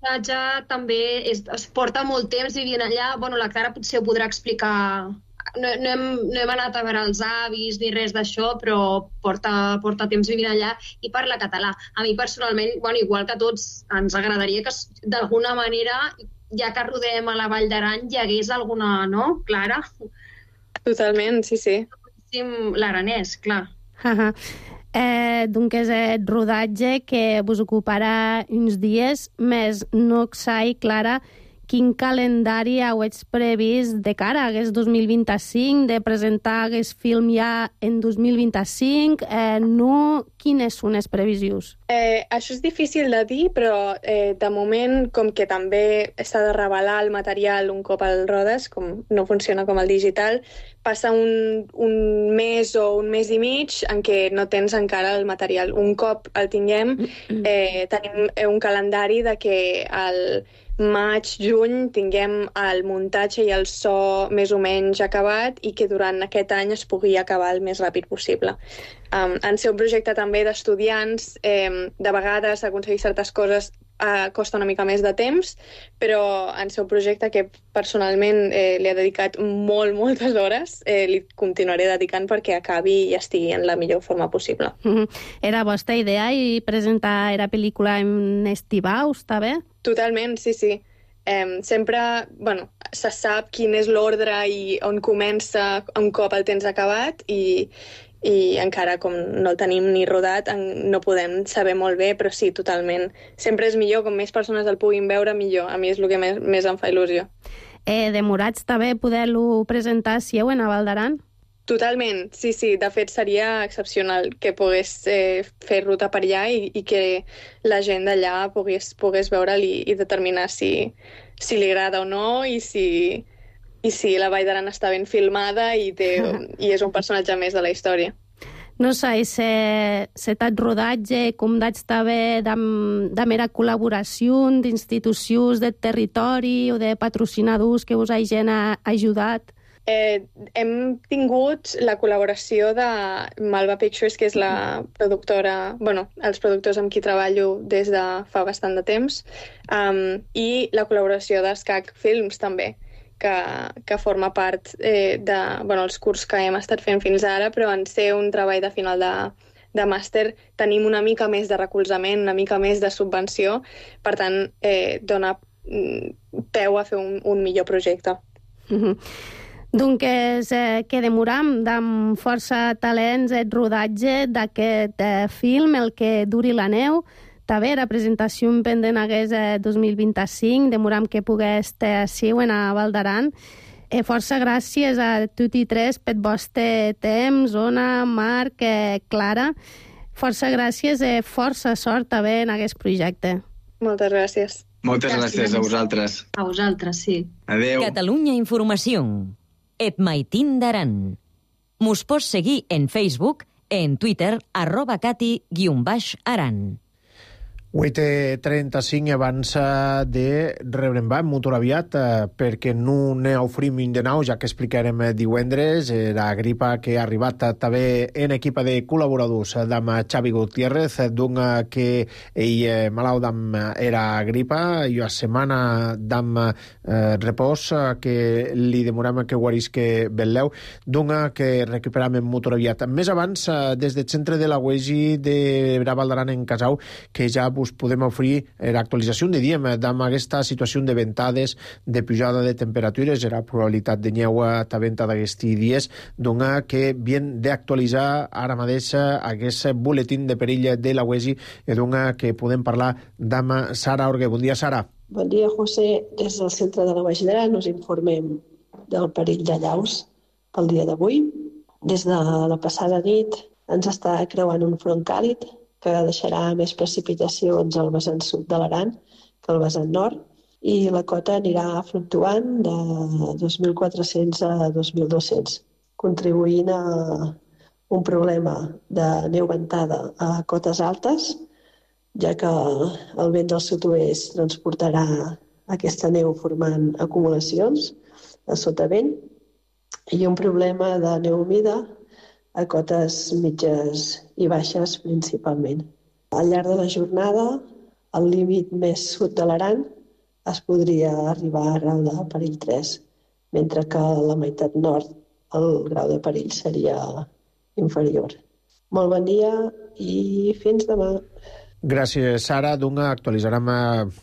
viatge també és, es porta molt temps vivint allà. Bueno, la Clara potser ho podrà explicar. No, no, hem, no hem anat a veure els avis ni res d'això, però porta, porta temps vivint allà i parla català. A mi personalment, bueno, igual que a tots, ens agradaria que d'alguna manera, ja que rodem a la Vall d'Aran, hi hagués alguna, no, Clara? Totalment, sí, sí. L'aranès, clar. Uh -huh. eh, doncs és el rodatge que vos ocuparà uns dies, més no sai, Clara, quin calendari hauets previst de cara a aquest dos mil vint-i-cinc, de presentar aquest film ja en dos mil vint-i-cinc, eh, no, quines són les previsions? Eh, això és difícil de dir, però eh, de moment, com que també s'ha de revelar el material un cop el rodes, com no funciona com el digital, passa un, un mes o un mes i mig en què no tens encara el material. Un cop el tinguem, eh, tenim un calendari de que el maig, juny, tinguem el muntatge i el so més o menys acabat i que durant aquest any es pugui acabar el més ràpid possible. Um, en ser un projecte també d'estudiants, eh, de vegades aconseguir certes coses eh, costa una mica més de temps, però en ser un projecte que personalment eh, li he dedicat molt, moltes hores, eh, li continuaré dedicant perquè acabi i estigui en la millor forma possible. Mm-hmm. Era vostra idea i presentar la pel·lícula en estivau, està bé? Totalment, sí, sí. eh, sempre bueno, se sap quin és l'ordre i on comença un cop el tens acabat i, i encara com no el tenim ni rodat no podem saber molt bé, però sí, totalment. Sempre és millor, com més persones el puguin veure, millor. A mi és el que més, més em fa il·lusió. Eh, demorats també poder-lo presentar si heu a Val d'Aran? Totalment, sí, sí. De fet, seria excepcional que pogués eh, fer ruta per allà i, i que la gent d'allà pogués, pogués veure'l i, i determinar si, si li agrada o no i si, i si la Vall d'Aran està ben filmada i, té, i és un personatge més de la història. No sé, se, se t'ha rodatge, com d'haig també de mera col·laboració d'institucions del territori o de patrocinadors que us hagin ajudat? Eh, hem tingut la col·laboració de Malva Pictures, que és la productora, bueno, els productors amb qui treballo des de fa bastant de temps, um, i la col·laboració d'Escac Films també, que, que forma part eh, de, bueno, els cursos que hem estat fent fins ara, però en ser un treball de final de, de màster tenim una mica més de recolzament, una mica més de subvenció, per tant, eh, dona peu a fer un, un millor projecte. Mm-hmm. Doncs eh, que demoram amb força talents el rodatge d'aquest eh, film, el que duri la neu. També la presentació pendent hagués eh, dos mil vint-i-cinc, demoram que pogués estar així a Val d'Aran. Eh, força gràcies a tots i tres pel vostre temps, Ona, Marc, eh, Clara. Força gràcies i eh, força sort també en aquest projecte. Moltes gràcies. Moltes gràcies, gràcies a vosaltres. A vosaltres, sí. Adéu. Catalunya Informació. Et maitin d'Aran. Mos pots seguir en Facebook, en Twitter, arroba cati guion baix aran. vuit i trenta-cinc abans de rebrembar molt aviat eh, perquè no ne oferim de nou, ja que explicarem divendres la gripa que ha arribat també en equip de col·laboradors d'am Xavi Gutiérrez, d'un que ell malalt d'am era gripa i a setmana d'am eh, repòs que li demorem que guarisque Belleu, d'un que recuperam molt aviat. Més abans, des del centre de la U E S I de Val d'Aran en Casau, que ja us podem oferir l'actualització de diem d'amb aquesta situació de ventades, de pujada de temperatures, la probabilitat de neu també d'aquests dies, dona que bien d'actualitzar ara mateix aquest buletín de perill de la U E S I i dona que podem parlar d'amb Sara Orgue. Bon dia, Sara. Bon dia, José. Des del centre de la U E S I d'Aran us informem del perill de llaus pel dia d'avui. Des de la passada nit ens està creuant un front càlid que deixarà més precipitacions al vessant sud de l'Aran que al vessant nord, i la cota anirà fluctuant de dos mil quatre-cents a dos mil dos-cents, contribuint a un problema de neu ventada a cotes altes, ja que el vent del sud-oest transportarà aquesta neu formant acumulacions a sotavent, i un problema de neu humida a cotes mitges i baixes principalment. Al llarg de la jornada, al límit més sud de l'Aran es podria arribar a grau de perill tres, mentre que a la meitat nord el grau de perill seria inferior. Molt bon dia i fins demà. Gràcies, Sara. Doncs actualitzarem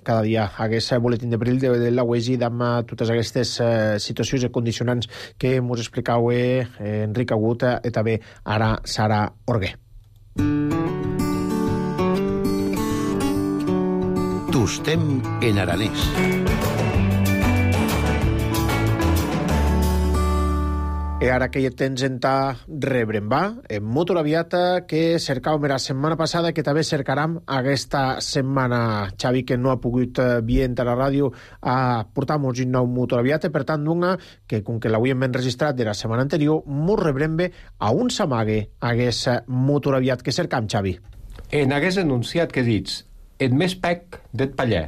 cada dia aquest boletín de perill de la U E S I d'amb totes aquestes situacions i condicionants que ens explicau Enric Agut i també ara Sara Orgue. Tostem en aranès. I ara que ja tens en ta rebrembar, en motor aviat que cercàvem la setmana passada, que també cercarem aquesta setmana. Xavi, que no ha pogut vir a la ràdio a portar-nos un nou motor aviat, per tant, d'una que, com que l'havíem enregistrat de la setmana anterior, mos rebrembe a un s'amague aquest motor aviat que cercam, Xavi. En hagués anunciat que dits, et més pec d'et pallè,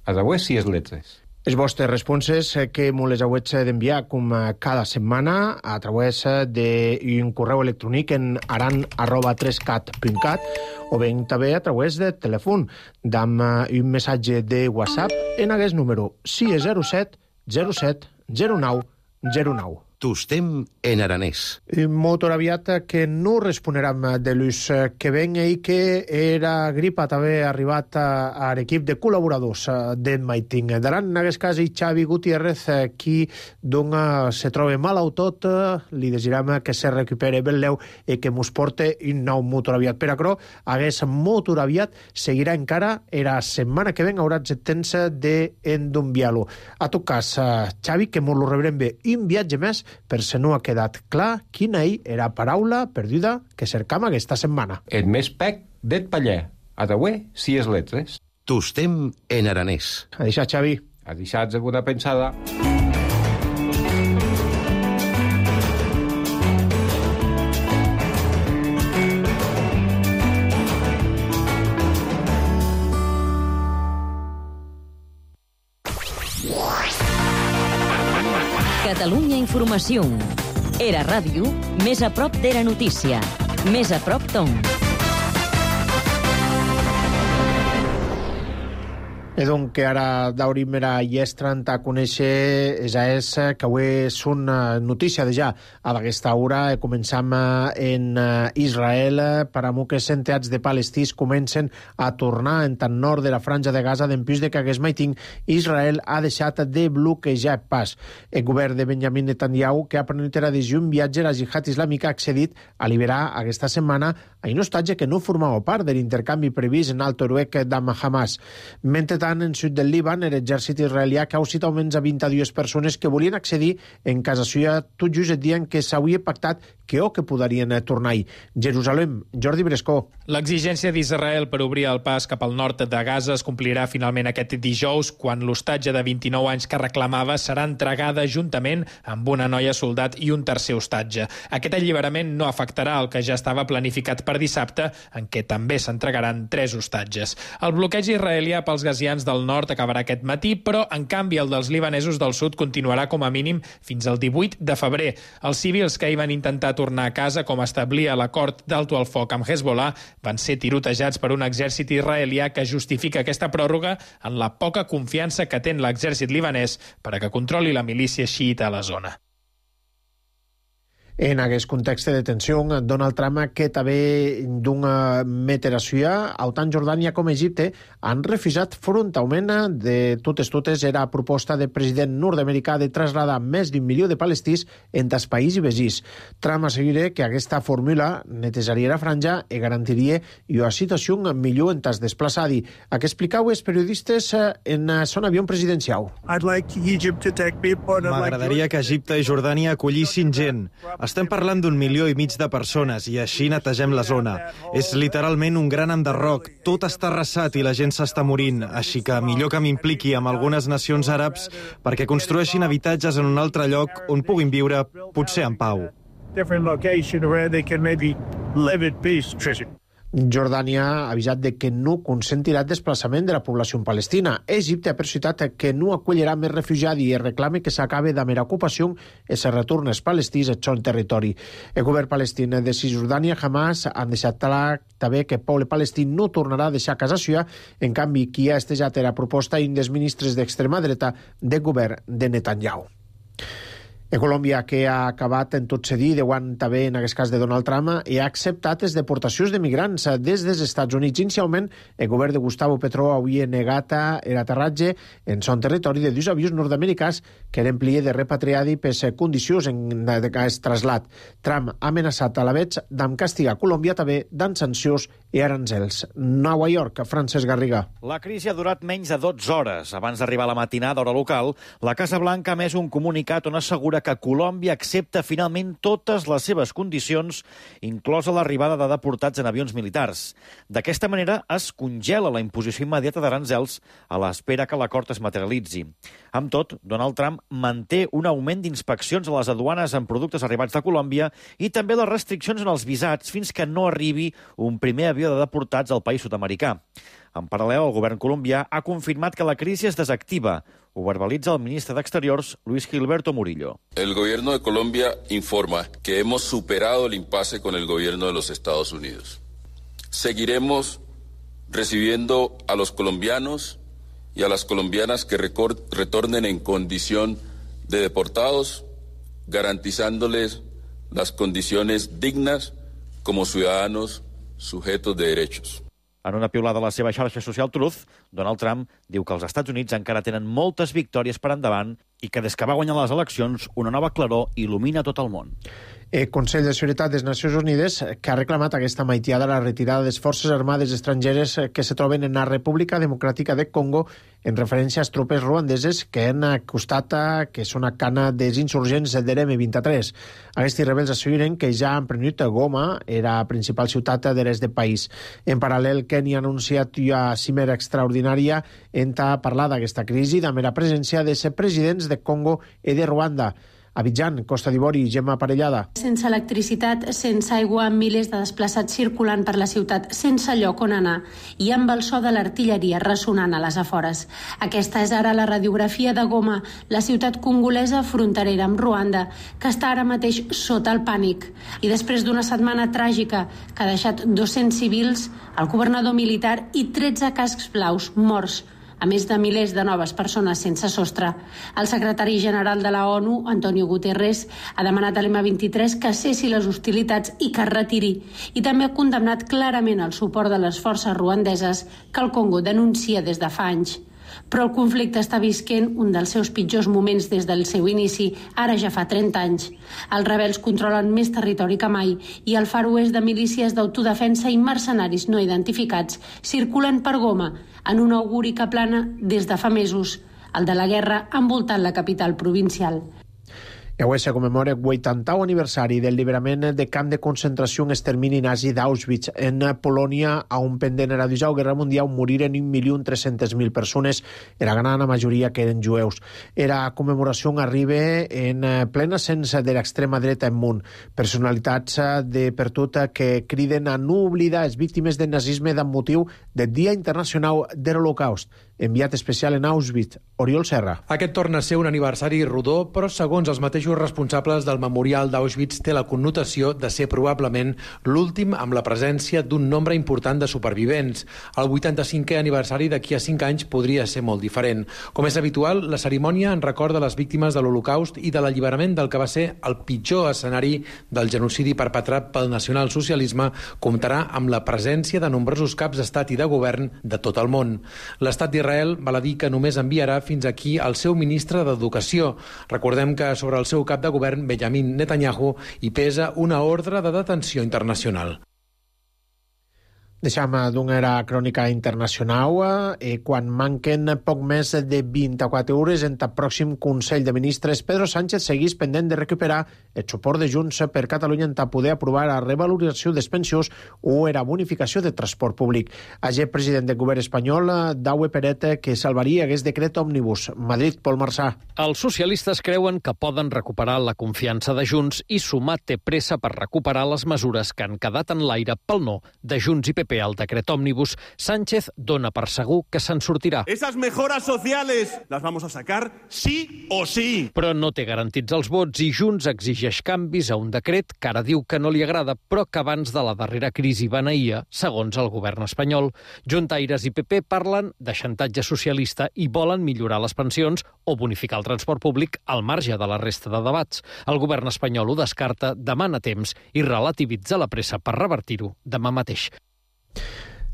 a d'avui si és letres. Els vostres responses que me les heu d'enviar com cada setmana a través d'un correu electrònic en aran arroba tres cat punt cat o bé també a través de telèfon d'amb un missatge de WhatsApp en aquest número sis zero set zero set zero nou zero nou. Tostem en aranès. Molt aviat que no responeram de l'ús que ven i que era gripat haver arribat a l'equip de col·laboradors d'en Maiting. Daran, en aquest cas, Xavi Gutiérrez, qui dona, se troba mal au tot, li desirem que se recupere ben leu i que mos porte un nou molt aviat. Per acrò, hagués molt aviat seguirà encara era setmana que ven haurà el temps d'endumbiar-lo. A tot cas, Xavi, que mos lo rebrem bé un viatge més per se no ha quedat clar quina hi era paraula perduda que cercam aquesta setmana. Et més pec d'et paller. A d'avui, si és letres. Tostem en aranès. A deixar, Xavi. A deixar alguna pensada. Catalunya Informació. Era ràdio, més a prop d'Era Notícia. Més a prop d'on. E donc que ara daurim era llestrant a conèixer esa és que avui és una notícia de ja a d'aquesta hora. Començam en Israel. Per a moques centeats de palestins comencen a tornar en tant nord de la franja de Gaza d'empús de que hagués maiting Israel ha deixat de bloquejar pas. El govern de Benjamin Netanyahu, que ha prenut era decisió un viatge a la jihad islàmica, ha accedit a liberar aquesta setmana a un hostatge que no formava part de l'intercanvi previst en Alto Heroic d'Am Hamas. Mentre en sud del Líban, l'exèrcit israelià ha causat almenys a vint-i-dues persones que volien accedir en casa suya, tot just et dient que s'havia pactat que o que podrien tornar-hi. Jerusalem, Jordi Brescó. L'exigència d'Israel per obrir el pas cap al nord de Gaza es complirà finalment aquest dijous, quan l'hostatge de vint-i-nou anys que reclamava serà entregada juntament amb una noia soldat i un tercer hostatge. Aquest alliberament no afectarà el que ja estava planificat per dissabte, en què també s'entregaran tres hostatges. El bloqueig israelià pels gazians del nord acabarà aquest matí, però, en canvi, el dels libanesos del sud continuarà com a mínim fins al divuit de febrer. Els civils que hi van intentar tornar a casa, com establia l'acord d'alto al foc amb Hezbollah, van ser tirotejats per un exèrcit israelià que justifica aquesta pròrroga en la poca confiança que té en l'exèrcit libanès per a que controli la milícia xiita a la zona. En aquest context de tensió, Donald Trump, que també d'una meteració, tant Jordània com Egipte han refusat frontalment de totes totes era proposta del president nord-americà de traslladar més d'un milió de palestins entre els països veïns. Trump assegura que aquesta fórmula netejaria la franja i garantiria una situació millor entre els desplaçats. El que explicau els periodistes en son avió presidencial. M'agradaria que Egipte i Jordània acollissin gent. Estem parlant d'un milió i mig de persones i així netegem la zona. És literalment un gran enderroc. Tot està arrasat i la gent s'està morint, així que millor que m'impliqui amb algunes nacions àrabs perquè construeixin habitatges en un altre lloc on puguin viure, potser en pau. Jordània ha avisat de que no consentirà el desplaçament de la població palestina. Egipte ha persuadat que no acollirà més refugiats i reclama que s'acabe de mera ocupació i se retornen els palestins al seu territori. El govern palestí de Cisjordània i Hamas han deixat clar també que el poble palestí no tornarà a deixar casa seva. En canvi, qui ha estejat la proposta un dels ministres d'extrema dreta del govern de Netanyahu. En Colòmbia, que ha acabat en tot cedir, deuant també en aquest cas de Donald Trump, i ha acceptat les deportacions de migrants des dels Estats Units. Inicialment, el govern de Gustavo Petro havia negat l'aterratge en son territori de dos avions nord-americans que eren plié de repatriadi per condicions en aquest traslat. Trump ha amenaçat a la vegada d'am castigar Colòmbia també d'am sancions i aranzels. Nova York, Francesc Garriga. La crisi ha durat menys de dotze hores. Abans d'arribar a la matinada, hora local, la Casa Blanca ha emès un comunicat on assegura que Colòmbia accepta finalment totes les seves condicions, inclosa l'arribada de deportats en avions militars. D'aquesta manera es congela la imposició immediata d'aranzels a l'espera que l'acord es materialitzi. Amb tot, Donald Trump manté un augment d'inspeccions a les aduanes en productes arribats de Colòmbia i també les restriccions en els visats fins que no arribi un primer avió de deportats al país sud-americà. En paral·lel, el govern colombià ha confirmat que la crisi es desactiva. Ho verbalitza el ministre d'Exteriors, Luis Gilberto Murillo. El gobierno de Colombia informa que hemos superado el impasse con el gobierno de los Estados Unidos. Seguiremos recibiendo a los colombianos y a las colombianas que retornen en condición de deportados garantizándoles las condiciones dignas como ciudadanos sujetos de derechos. En una piulada a la seva xarxa social Truth, Donald Trump diu que els Estats Units encara tenen moltes victòries per endavant i que des que va guanyar les eleccions una nova claror il·lumina tot el món. El Consell de Seguretat de les Nacions Unides, que ha reclamat aquesta maitiada la retirada de les forces armades estrangeres que se troben en la República Democràtica de Congo en referència a les tropes ruandeses que han acostat que són a cana dels insurgents de l'M vint-i-tres. Aquests rebels asseguren que ja han prenut Goma, era la principal ciutat de l'est del país. En paral·lel, Kenya ha anunciat una cimera extraordinària en parlar d'aquesta crisi de mera presència de ser presidents de Congo i de Ruanda. Abidjan, Costa d'Ivori, Gemma Parellada. Sense electricitat, sense aigua, milers de desplaçats circulant per la ciutat, sense lloc on anar i amb el so de l'artilleria ressonant a les afores. Aquesta és ara la radiografia de Goma, la ciutat congolesa fronterera amb Ruanda, que està ara mateix sota el pànic. I després d'una setmana tràgica que ha deixat dos-cents civils, el governador militar i tretze cascs blaus morts, a més de milers de noves persones sense sostre. El secretari general de la ONU, Antonio Guterres, ha demanat a l'M vint-i-tres que cessi les hostilitats i que es retiri, i també ha condemnat clarament el suport de les forces ruandeses que el Congo denuncia des de fa anys. Però el conflicte està visquent un dels seus pitjors moments des del seu inici, ara ja fa trenta anys. Els rebels controlen més territori que mai i el Far West de milícies d'autodefensa i mercenaris no identificats circulen per Goma en un auguri que plana des de fa mesos, el de la guerra envoltant la capital provincial. I avui se commemora el vuitantau aniversari del alliberament de camp de concentració en extermini nazi d'Auschwitz en Polònia, a un pendent de la Segona Guerra Mundial moriren un milió tres-centes mil persones, era gran la majoria que eren jueus. Era commemoració arriba en plena ascens de l'extrema dreta en munt. Personalitats de per tot que criden a no oblidar les víctimes del nazisme amb motiu del Dia Internacional de l'Holocaust. Enviat especial en Auschwitz, Oriol Serra. Aquest torna a ser un aniversari rodó, però segons els mateixos responsables del memorial d'Auschwitz té la connotació de ser probablement l'últim amb la presència d'un nombre important de supervivents. El vuitanta-cinquè aniversari d'aquí a cinc anys podria ser molt diferent. Com és habitual, la cerimònia en recorda les víctimes de l'Holocaust i de l'alliberament del que va ser el pitjor escenari del genocidi perpetrat pel nacionalsocialisme comptarà amb la presència de nombrosos caps d'estat i de govern de tot el món. L'estat d'Israel val a dir que només enviarà fins aquí el seu ministre d'Educació. Recordem que sobre el seu cap de govern, Benjamin Netanyahu, hi pesa una ordre de detenció internacional. Deixem d'una crònica internacional. Eh, quan manquen poc més de vint-i-quatre hores en el pròxim Consell de Ministres, Pedro Sánchez segueix pendent de recuperar el suport de Junts per Catalunya en poder aprovar la revalorització dels pensions o la bonificació de transport públic. Ayer, president del govern espanyol, Daue Peret, que salvaria aquest decret òmnibus. Madrid, Pol Marsà. Els socialistes creuen que poden recuperar la confiança de Junts i Sumar té pressa per recuperar les mesures que han quedat en l'aire pel no de Junts i P P al decret òmnibus. Sánchez dona per segur que se'n sortirà. Esas mejoras sociales las vamos a sacar sí o sí. Però no té garantits els vots i Junts exigeix canvis a un decret que ara diu que no li agrada, però que abans de la darrera crisi beneïa, segons el govern espanyol. Juntaires i P P parlen de xantatge socialista i volen millorar les pensions o bonificar el transport públic al marge de la resta de debats. El govern espanyol ho descarta, demana temps i relativitza la pressa per revertir-ho demà mateix.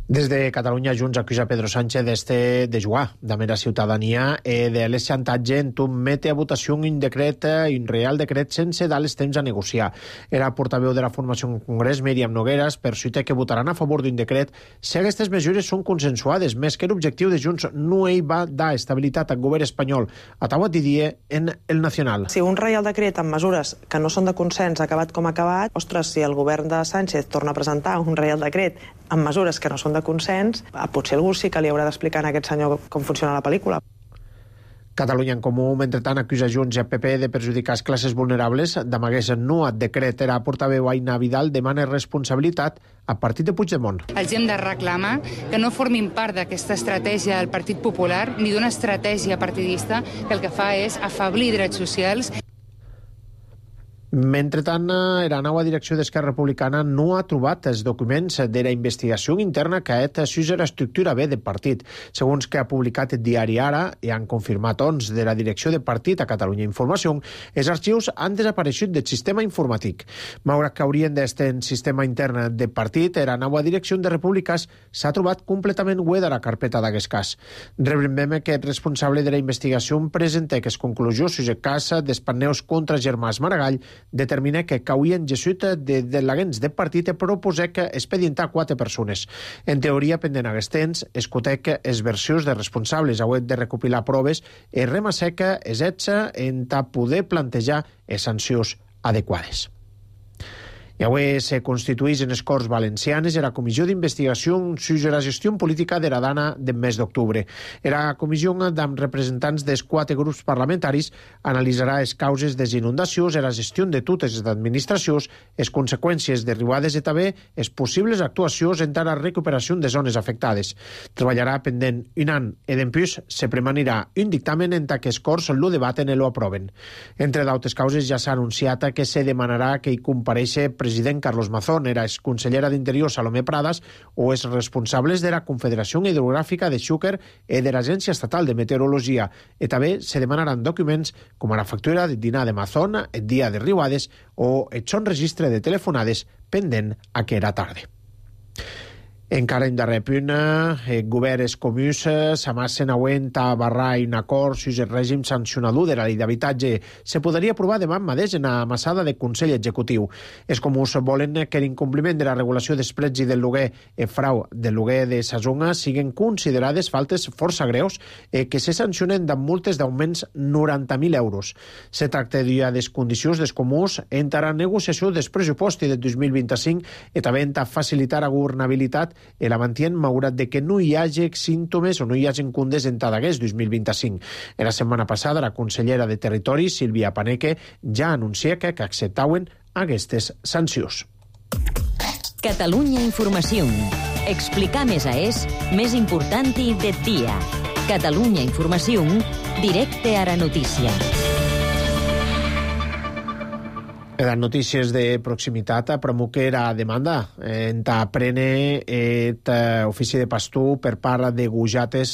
Des de Catalunya, Junts acusa Pedro Sánchez d'este de jugar de mera ciutadania e de les xantatge en tu mete a votació un decret, un real decret sense dar els temps a negociar. Era portaveu de la formació en Congrés, Míriam Nogueras, persuita que votaran a favor d'un decret si aquestes mesures són consensuades, més que l'objectiu de Junts no hi va dar estabilitat al govern espanyol. Ataua Didier en El Nacional. Si un reial decret amb mesures que no són de consens ha acabat com ha acabat, ostres, si el govern de Sánchez torna a presentar un reial decret amb mesures que no són de consens, potser algú sí que li haurà d'explicar a aquest senyor com funciona la pel·lícula. Catalunya en Comú, mentrestant, acusa Junts i a P P de perjudicar les classes vulnerables. D'amagués no et decret era portaveu Aina Vidal demana responsabilitat a partit de Puigdemont. Els hem de reclamar que no formin part d'aquesta estratègia del Partit Popular ni d'una estratègia partidista que el que fa és afeblir drets socials. Mentretant, la nova direcció d'Esquerra Republicana no ha trobat els documents de la investigació interna que ha fet sus la estructura B del partit. Segons que ha publicat el diari Ara i han confirmat ons de la direcció de partit a Catalunya Informació, els arxius han desapareixut del sistema informàtic. Malgrat que haurien d'estar en sistema intern del partit, la nova direcció de Repúbliques s'ha trobat completament buida a la carpeta d'aquest cas. Rebrem que el responsable de la investigació presenta que es conclusió sus el cas dels paneus contra Germàs Maragall determina que cauen jesut de delegants del partit i proposar que expedientar quatre persones. En teoria, pendent aquest temps, escutec els versions de responsables hauet de recopilar proves i remasseca els ets en ta poder plantejar les sancions adequades. I avui se constitueix en les Corts Valencianes la Comissió d'Investigació sobre la gestió política de la Dana del mes d'octubre. La comissió, amb representants dels quatre grups parlamentaris, analitzarà les causes de les inundacions, la gestió de totes les administracions, les conseqüències derivades i també les possibles actuacions en la recuperació de zones afectades. Treballarà pendent un any i d'empús se premanirà un dictamen en què els Corts lo debaten i lo aproven. Entre d'altres causes ja s'ha anunciat que se demanarà que hi compareixi president Carlos Mazón, era exconsellera d'Interior Salomé Pradas o els responsables de la Confederació Hidrogràfica de Xúquer i de l'Agència Estatal de Meteorologia. I també se demanaran documents com la factura de dinar de Mazón, el dia de riuades o el son registre de telefonades pendent a que era tarda. Encara en darrer punt, el govern els comuns s'amassen auent a barrar un acord sus el règim sancionador de la llei d'habitatge. Se podria aprovar demà mateix en la massada del Consell Executiu. Els comuns volen que l'incompliment de la regulació dels preus i del lloguer i frau del lloguer de sa zona siguin considerades faltes força greus i que se sancionen amb multes d'augments noranta mil euros. Se tracta de les condicions dels comuns entre la negociació dels pressupostos del dos mil vint-i-cinc i també a facilitar la governabilitat i la mantien malgrat de que no hi hagi símptomes o no hi hagi cundes en aquest dos mil vint-i-cinc. En la setmana passada, la consellera de Territori, Sílvia Paneque, ja anuncia que acceptaven aquestes sancions. Catalunya Informació. Explicar més a és més important de dia. Catalunya Informació, directe a la notícia. Les notícies de proximitat promuque la demanda en ta prene et ofici de pastor per part de Gujates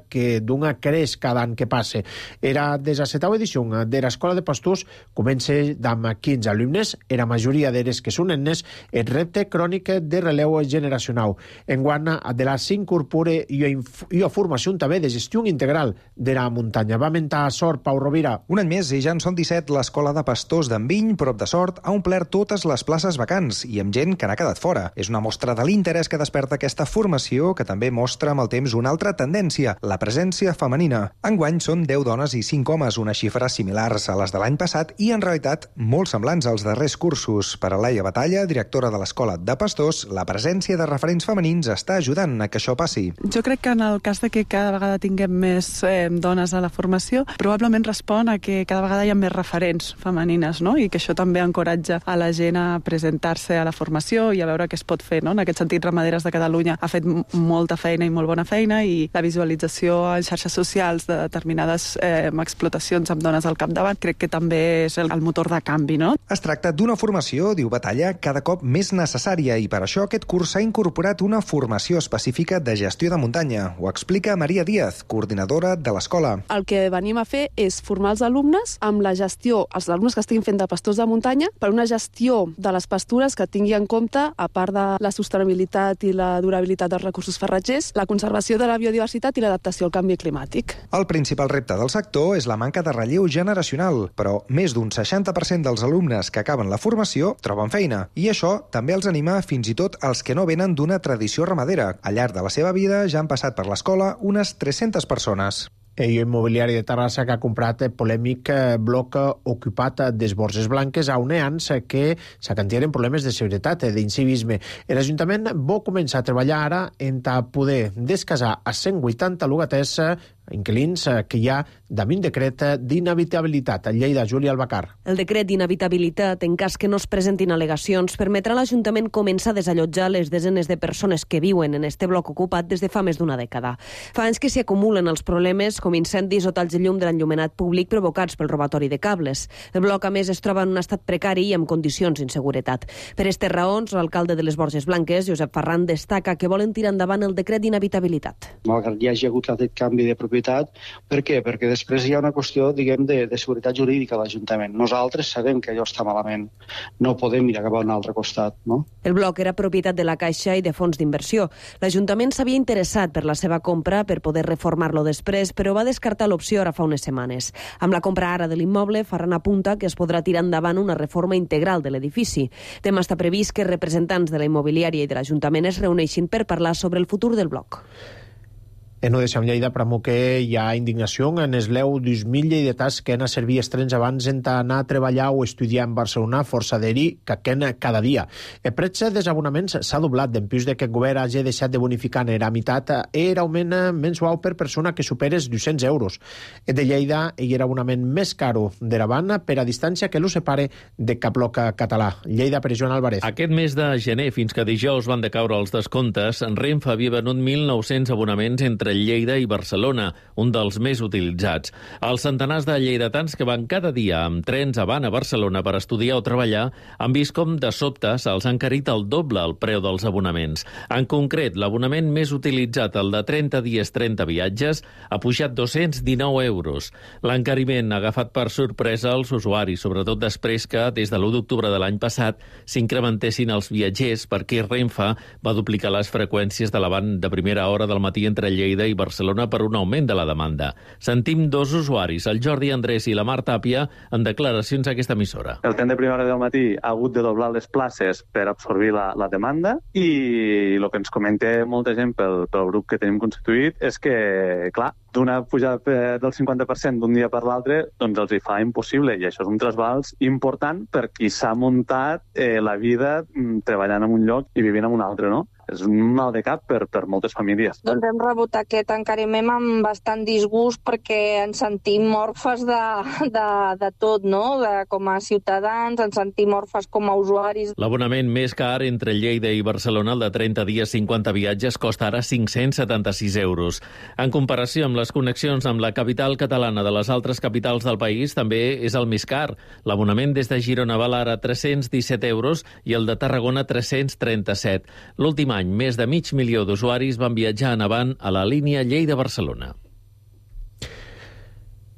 que d'una creix cada any que passe. Era des la setava edició de l'Escola de Pastors comença amb quinze alumnes, la majoria d'ells que són nenes, el repte crònic de releu generacional. Enguany, de la s'incorpora i a formació també de gestió integral de la muntanya. Va mentar a Sort, Pau Rovira. Un any més i ja en són disset, l'Escola de Pastors d'Enviny, prop de Sort, ha omplert totes les places vacants i amb gent que n'ha quedat fora. És una mostra de l'interès que desperta aquesta formació que també mostra amb el temps una altra tendència, la presència femenina. Enguany són deu dones i cinc homes, unes xifres similars a les de l'any passat i en realitat molt semblants als darrers cursos. Per a Laia Batalla, directora de l'Escola de Pastors, la presència de referents femenins està ajudant a que això passi. Jo crec que en el cas de que cada vegada tinguem més eh, dones a la formació, probablement respon a que cada vegada hi ha més referents femenines, no? I que això també encoratja a la gent a presentar-se a la formació i a veure què es pot fer, no? En aquest sentit, Ramaderes de Catalunya ha fet molta feina i molt bona feina i la visualització en xarxes socials de determinades eh, explotacions amb dones al capdavant crec que també és el, el motor de canvi, no? Es tracta d'una formació, diu Batalla, cada cop més necessària i per això aquest curs s'ha incorporat una formació específica de gestió de muntanya. Ho explica Maria Díaz, coordinadora de l'escola. El que venim a fer és formar els alumnes amb la gestió, els alumnes que estiguin fent de pastors de muntanya, per una gestió de les pastures que tingui en compte, a part de la sostenibilitat i la durabilitat dels recursos farratgers, la conservació de la biodiversitat i l'adaptació al canvi climàtic. El principal repte del sector és la manca de relleu generacional, però més d'un seixanta per cent dels alumnes que acaben la formació troben feina, i això també els anima fins i tot els que no venen d'una tradició ramadera. Al llarg de la seva vida ja han passat per l'escola unes tres-centes persones. El immobiliari de Terrassa que ha comprat el polèmic bloc ocupat des Borges Blanques a uneans que s'acantieren problemes de seguretat i d'incivisme. L'Ajuntament vol començar a treballar ara en poder descasar a cent vuitanta lugaters inquilins que hi ha damunt decret d'inhabitabilitat. A Lleida, Júlia Albacar. El decret d'inhabitabilitat, en cas que no es presentin al·legacions, permetrà a l'Ajuntament començar a desallotjar les desenes de persones que viuen en este bloc ocupat des de fa més d'una dècada. Fa anys que s'hi acumulen els problemes com incendis o talls de llum de l'enllumenat públic provocats pel robatori de cables. El bloc, a més, es troba en un estat precari i amb condicions d'inseguretat. Per aquestes raons, l'alcalde de les Borges Blanques, Josep Ferran, destaca que volen tirar endavant el decret d'inhabitabilitat. Malgrat hi hagi hagut aquest canvi de propietat, per què? Perquè després hi ha una qüestió, diguem, de, de seguretat jurídica a l'Ajuntament. Nosaltres sabem que allò està malament. No podem mirar cap a un altre costat, no? El bloc era propietat de la Caixa i de fons d'inversió. L'Ajuntament s'havia interessat per la seva compra per poder reformar-lo després, però va descartar l'opció ara fa unes setmanes. Amb la compra ara de l'immoble, Ferran apunta que es podrà tirar endavant una reforma integral de l'edifici. Demà està previst que representants de la immobiliària i de l'Ajuntament es reuneixin per parlar sobre el futur del bloc. En U D C amb Lleida, pramo que hi ha indignació en els leu dos mil lleidatans que han a servir estrens abans d'anar a treballar o estudiar en Barcelona, força d'eri que quen cada dia. El preu dels abonaments s'ha doblat, d'empús de que el govern hagi deixat de bonificar en la meitat era augment mensual per persona que superes dos-cents euros. El de Lleida hi era abonament més caro de davant per a distància que lo separe de cap bloc català. Lleida per Joan Álvarez. Aquest mes de gener, fins que dijous van decaure els descomptes, Renfe havia venut mil nou-cents abonaments entre Lleida i Barcelona, un dels més utilitzats. Els centenars de lleidatans que van cada dia amb trens avant a Barcelona per estudiar o treballar han vist com de sobte se'ls ha encarit el doble el preu dels abonaments. En concret, l'abonament més utilitzat, el de trenta dies, trenta viatges, ha pujat dos-cents dinou euros. L'encariment ha agafat per sorpresa els usuaris, sobretot després que, des de l'u d'octubre de l'any passat, s'incrementessin els viatgers perquè Renfe va duplicar les freqüències de l'avant de primera hora del matí entre Lleida i Barcelona per un augment de la demanda. Sentim dos usuaris, el Jordi Andrés i la Mar Tàpia, en declaracions a aquesta emissora. El tren de primera hora del matí ha hagut de doblar les places per absorbir la, la demanda i el que ens comenta molta gent pel, pel grup que tenim constituït és que, clar, d'una pujada del cinquanta per cent d'un dia per l'altre, doncs els hi fa impossible, i això és un trasbals important per qui s'ha muntat eh, la vida treballant en un lloc i vivint en un altre, no? És un mal de cap per, per moltes famílies. Doncs hem rebut aquest encariment amb bastant disgust perquè ens sentim orfes de, de, de tot, no? De, com a ciutadans, ens sentim orfes com a usuaris. L'abonament més car entre Lleida i Barcelona, el de trenta dies, cinquanta viatges, costa ara cinc-cents setanta-sis euros. En comparació amb les connexions amb la capital catalana de les altres capitals del país, també és el més car. L'abonament des de Girona val ara tres-cents disset euros i el de Tarragona tres-cents trenta-set. L'últim any, més de mig milió d'usuaris van viatjar en avant a la línia Lleida-Barcelona.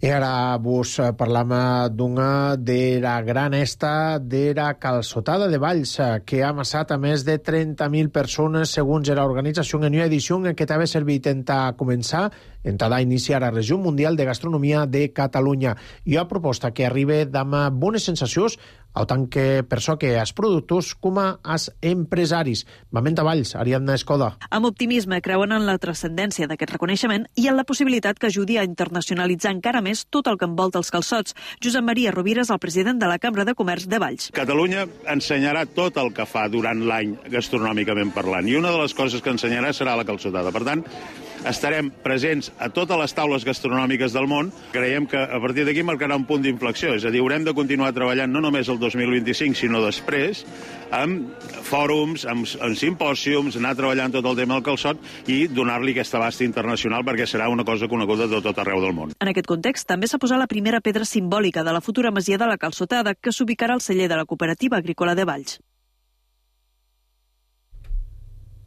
I ara vos parlam d'una de la gran esta de la calçotada de Valls, que ha amassat a més de trenta mil persones, segons l'organització en una edició en què també servit en començar, en a iniciar la Regió Mundial de Gastronomia de Catalunya. I una proposta que arriba amb bones sensacions, autant que per això que els productors com els empresaris. Vament a Valls, Ariadna Escoda. Amb optimisme creuen en la transcendència d'aquest reconeixement i en la possibilitat que ajudi a internacionalitzar encara més tot el que envolta els calçots. Josep Maria Rovira és el president de la Cambra de Comerç de Valls. Catalunya ensenyarà tot el que fa durant l'any gastronòmicament parlant, i una de les coses que ensenyarà serà la calçotada. Per tant, estarem presents a totes les taules gastronòmiques del món. Creiem que a partir d'aquí marcarà un punt d'inflexió, és a dir, haurem de continuar treballant no només el dos mil vint-i-cinc, sinó després, amb fòrums, amb, amb simpòsiums, anar treballant tot el tema del calçot i donar-li aquest abast internacional perquè serà una cosa coneguda de tot arreu del món. En aquest context, també s'ha posat la primera pedra simbòlica de la futura masia de la calçotada, que s'ubicarà al celler de la Cooperativa Agrícola de Valls.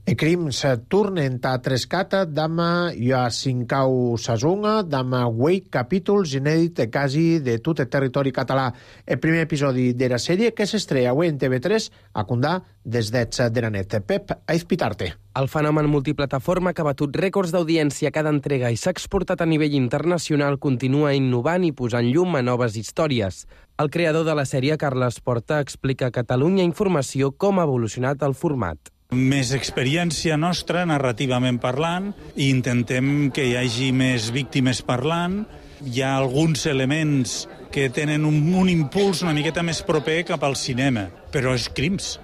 E crims tornen a Trescata, dama i a Sincau Sazunga, dama Wei capítols inèdit quasi de tot el territori català. El primer episodi de la sèrie que s'estrella avui en T V tres a Condà des d'Ets de la net. Pep Aizpitarte. El fenomen multiplataforma que ha batut rècords d'audiència cada entrega i s'ha exportat a nivell internacional continua innovant i posant llum a noves històries. El creador de la sèrie, Carles Porta, explica a Catalunya Informació com ha evolucionat el format. Més experiència nostra, narrativament parlant, i intentem que hi hagi més víctimes parlant. Hi ha alguns elements que tenen un, un impuls una miqueta més proper cap al cinema, però és crims.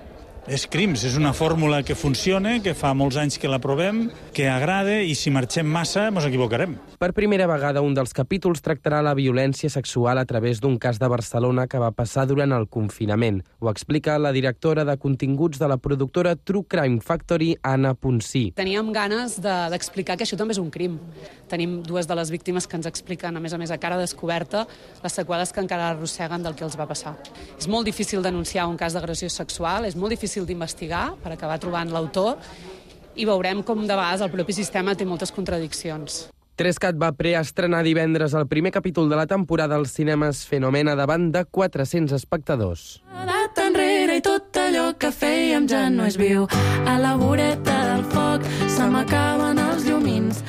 És Crims, és una fórmula que funciona, que fa molts anys que la provem, que agrada, i si marxem massa ens equivocarem. Per primera vegada, un dels capítols tractarà la violència sexual a través d'un cas de Barcelona que va passar durant el confinament. Ho explica la directora de continguts de la productora True Crime Factory, Anna Ponsí. Teníem ganes de, d'explicar que això també és un crim. Tenim dues de les víctimes que ens expliquen, a més a més, a cara descoberta, les seqüeles que encara arrosseguen del que els va passar. És molt difícil denunciar un cas d'agressió sexual, és molt difícil d'investigar per acabar trobant l'autor, i veurem com de vegades el propi sistema té moltes contradiccions. Trescat va preestrenar divendres el primer capítol de la temporada als cinemes Fenomena davant de quatre-cents espectadors. Data enrere i tot allò que fèiem ja no és viu. A la voreta del foc se m'acaben els llumins.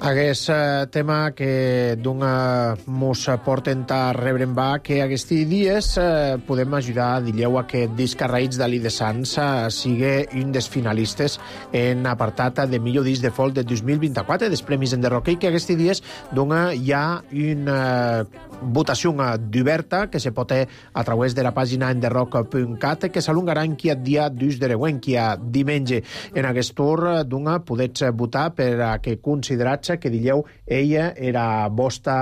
Aguest eh, tema que d'una mos porten a rebre en va que aquests dies eh, podem ajudar, dilleu, a que Disc Arraïts d'Ali de Sants eh, sigui un dels finalistes en apartat de millor disc de folk de dos mil vint-i-quatre dels Premis Enderroquei, que aquests dies dona hi ha una eh, votació d'oberta que se pot a través de la pàgina enderrock punt cat que s'alungarà en qui dia dos de reuent, qui a diumenge. En aquest tour d'una podets votar per a que considerats que dilleu ella era vostre,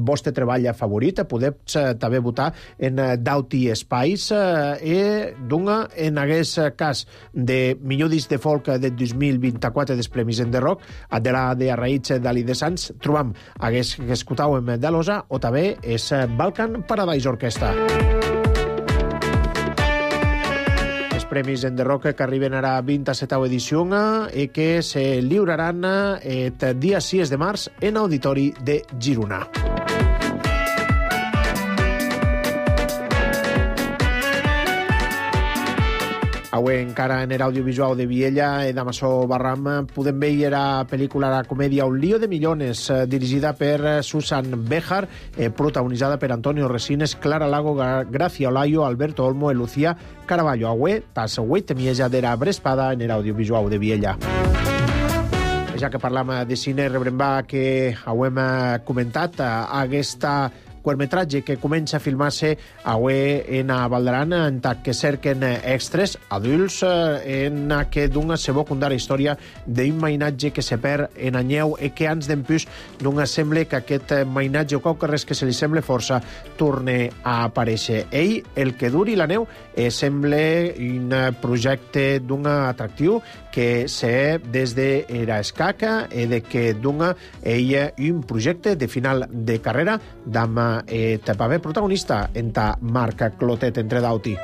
vostre treball favorit. Podeu també votar en Dauti Espais i d'una, en aquest cas de millor disc de folk de dos mil vint-i-quatre dels Premis Enderrock, de la de Arraïts d'Ali de Sants, trobam hagués que escoltàvem de l'Osa o també és Balkan Paradise Orquestra. Premis Enderrock que arriben ara a vint-i-setena edició i que se lliuraran el dia sis de març en Auditori de Girona. Avui encara en l'audiovisual de Viella i d'Amassó Barram podem veure la pel·lícula, la comèdia Un lío de millones, dirigida per Susan Béjar, eh, protagonitzada per Antonio Resines, Clara Lago, Gracia Olayo, Alberto Olmo i Lucía Caraballo. Avui, tas avui temieja de la Brespada en l'audiovisual de Viella. Ja que parlam de cine, rebrem va que ho hem comentat, aquesta curtmetratge que comença a filmar-se avui en Valdaran, en tant que cerquen extras adults en que d'una se vol contar la història d'un mainatge que se perd en anyeu i que ans d'empús d'una sembla que aquest mainatge o qualque res que se li sembla força torne a aparèixer. Ell, el que duri la neu, eh, sembla un projecte d'un atractiu que se des de era escaca i de que d'una ella un projecte de final de carrera d'ama eh, paper protagonista en ta Marc Clotet entre d'auti.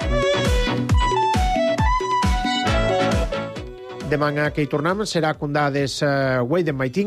Demà que hi tornem serà condades uh, Wade and Maiting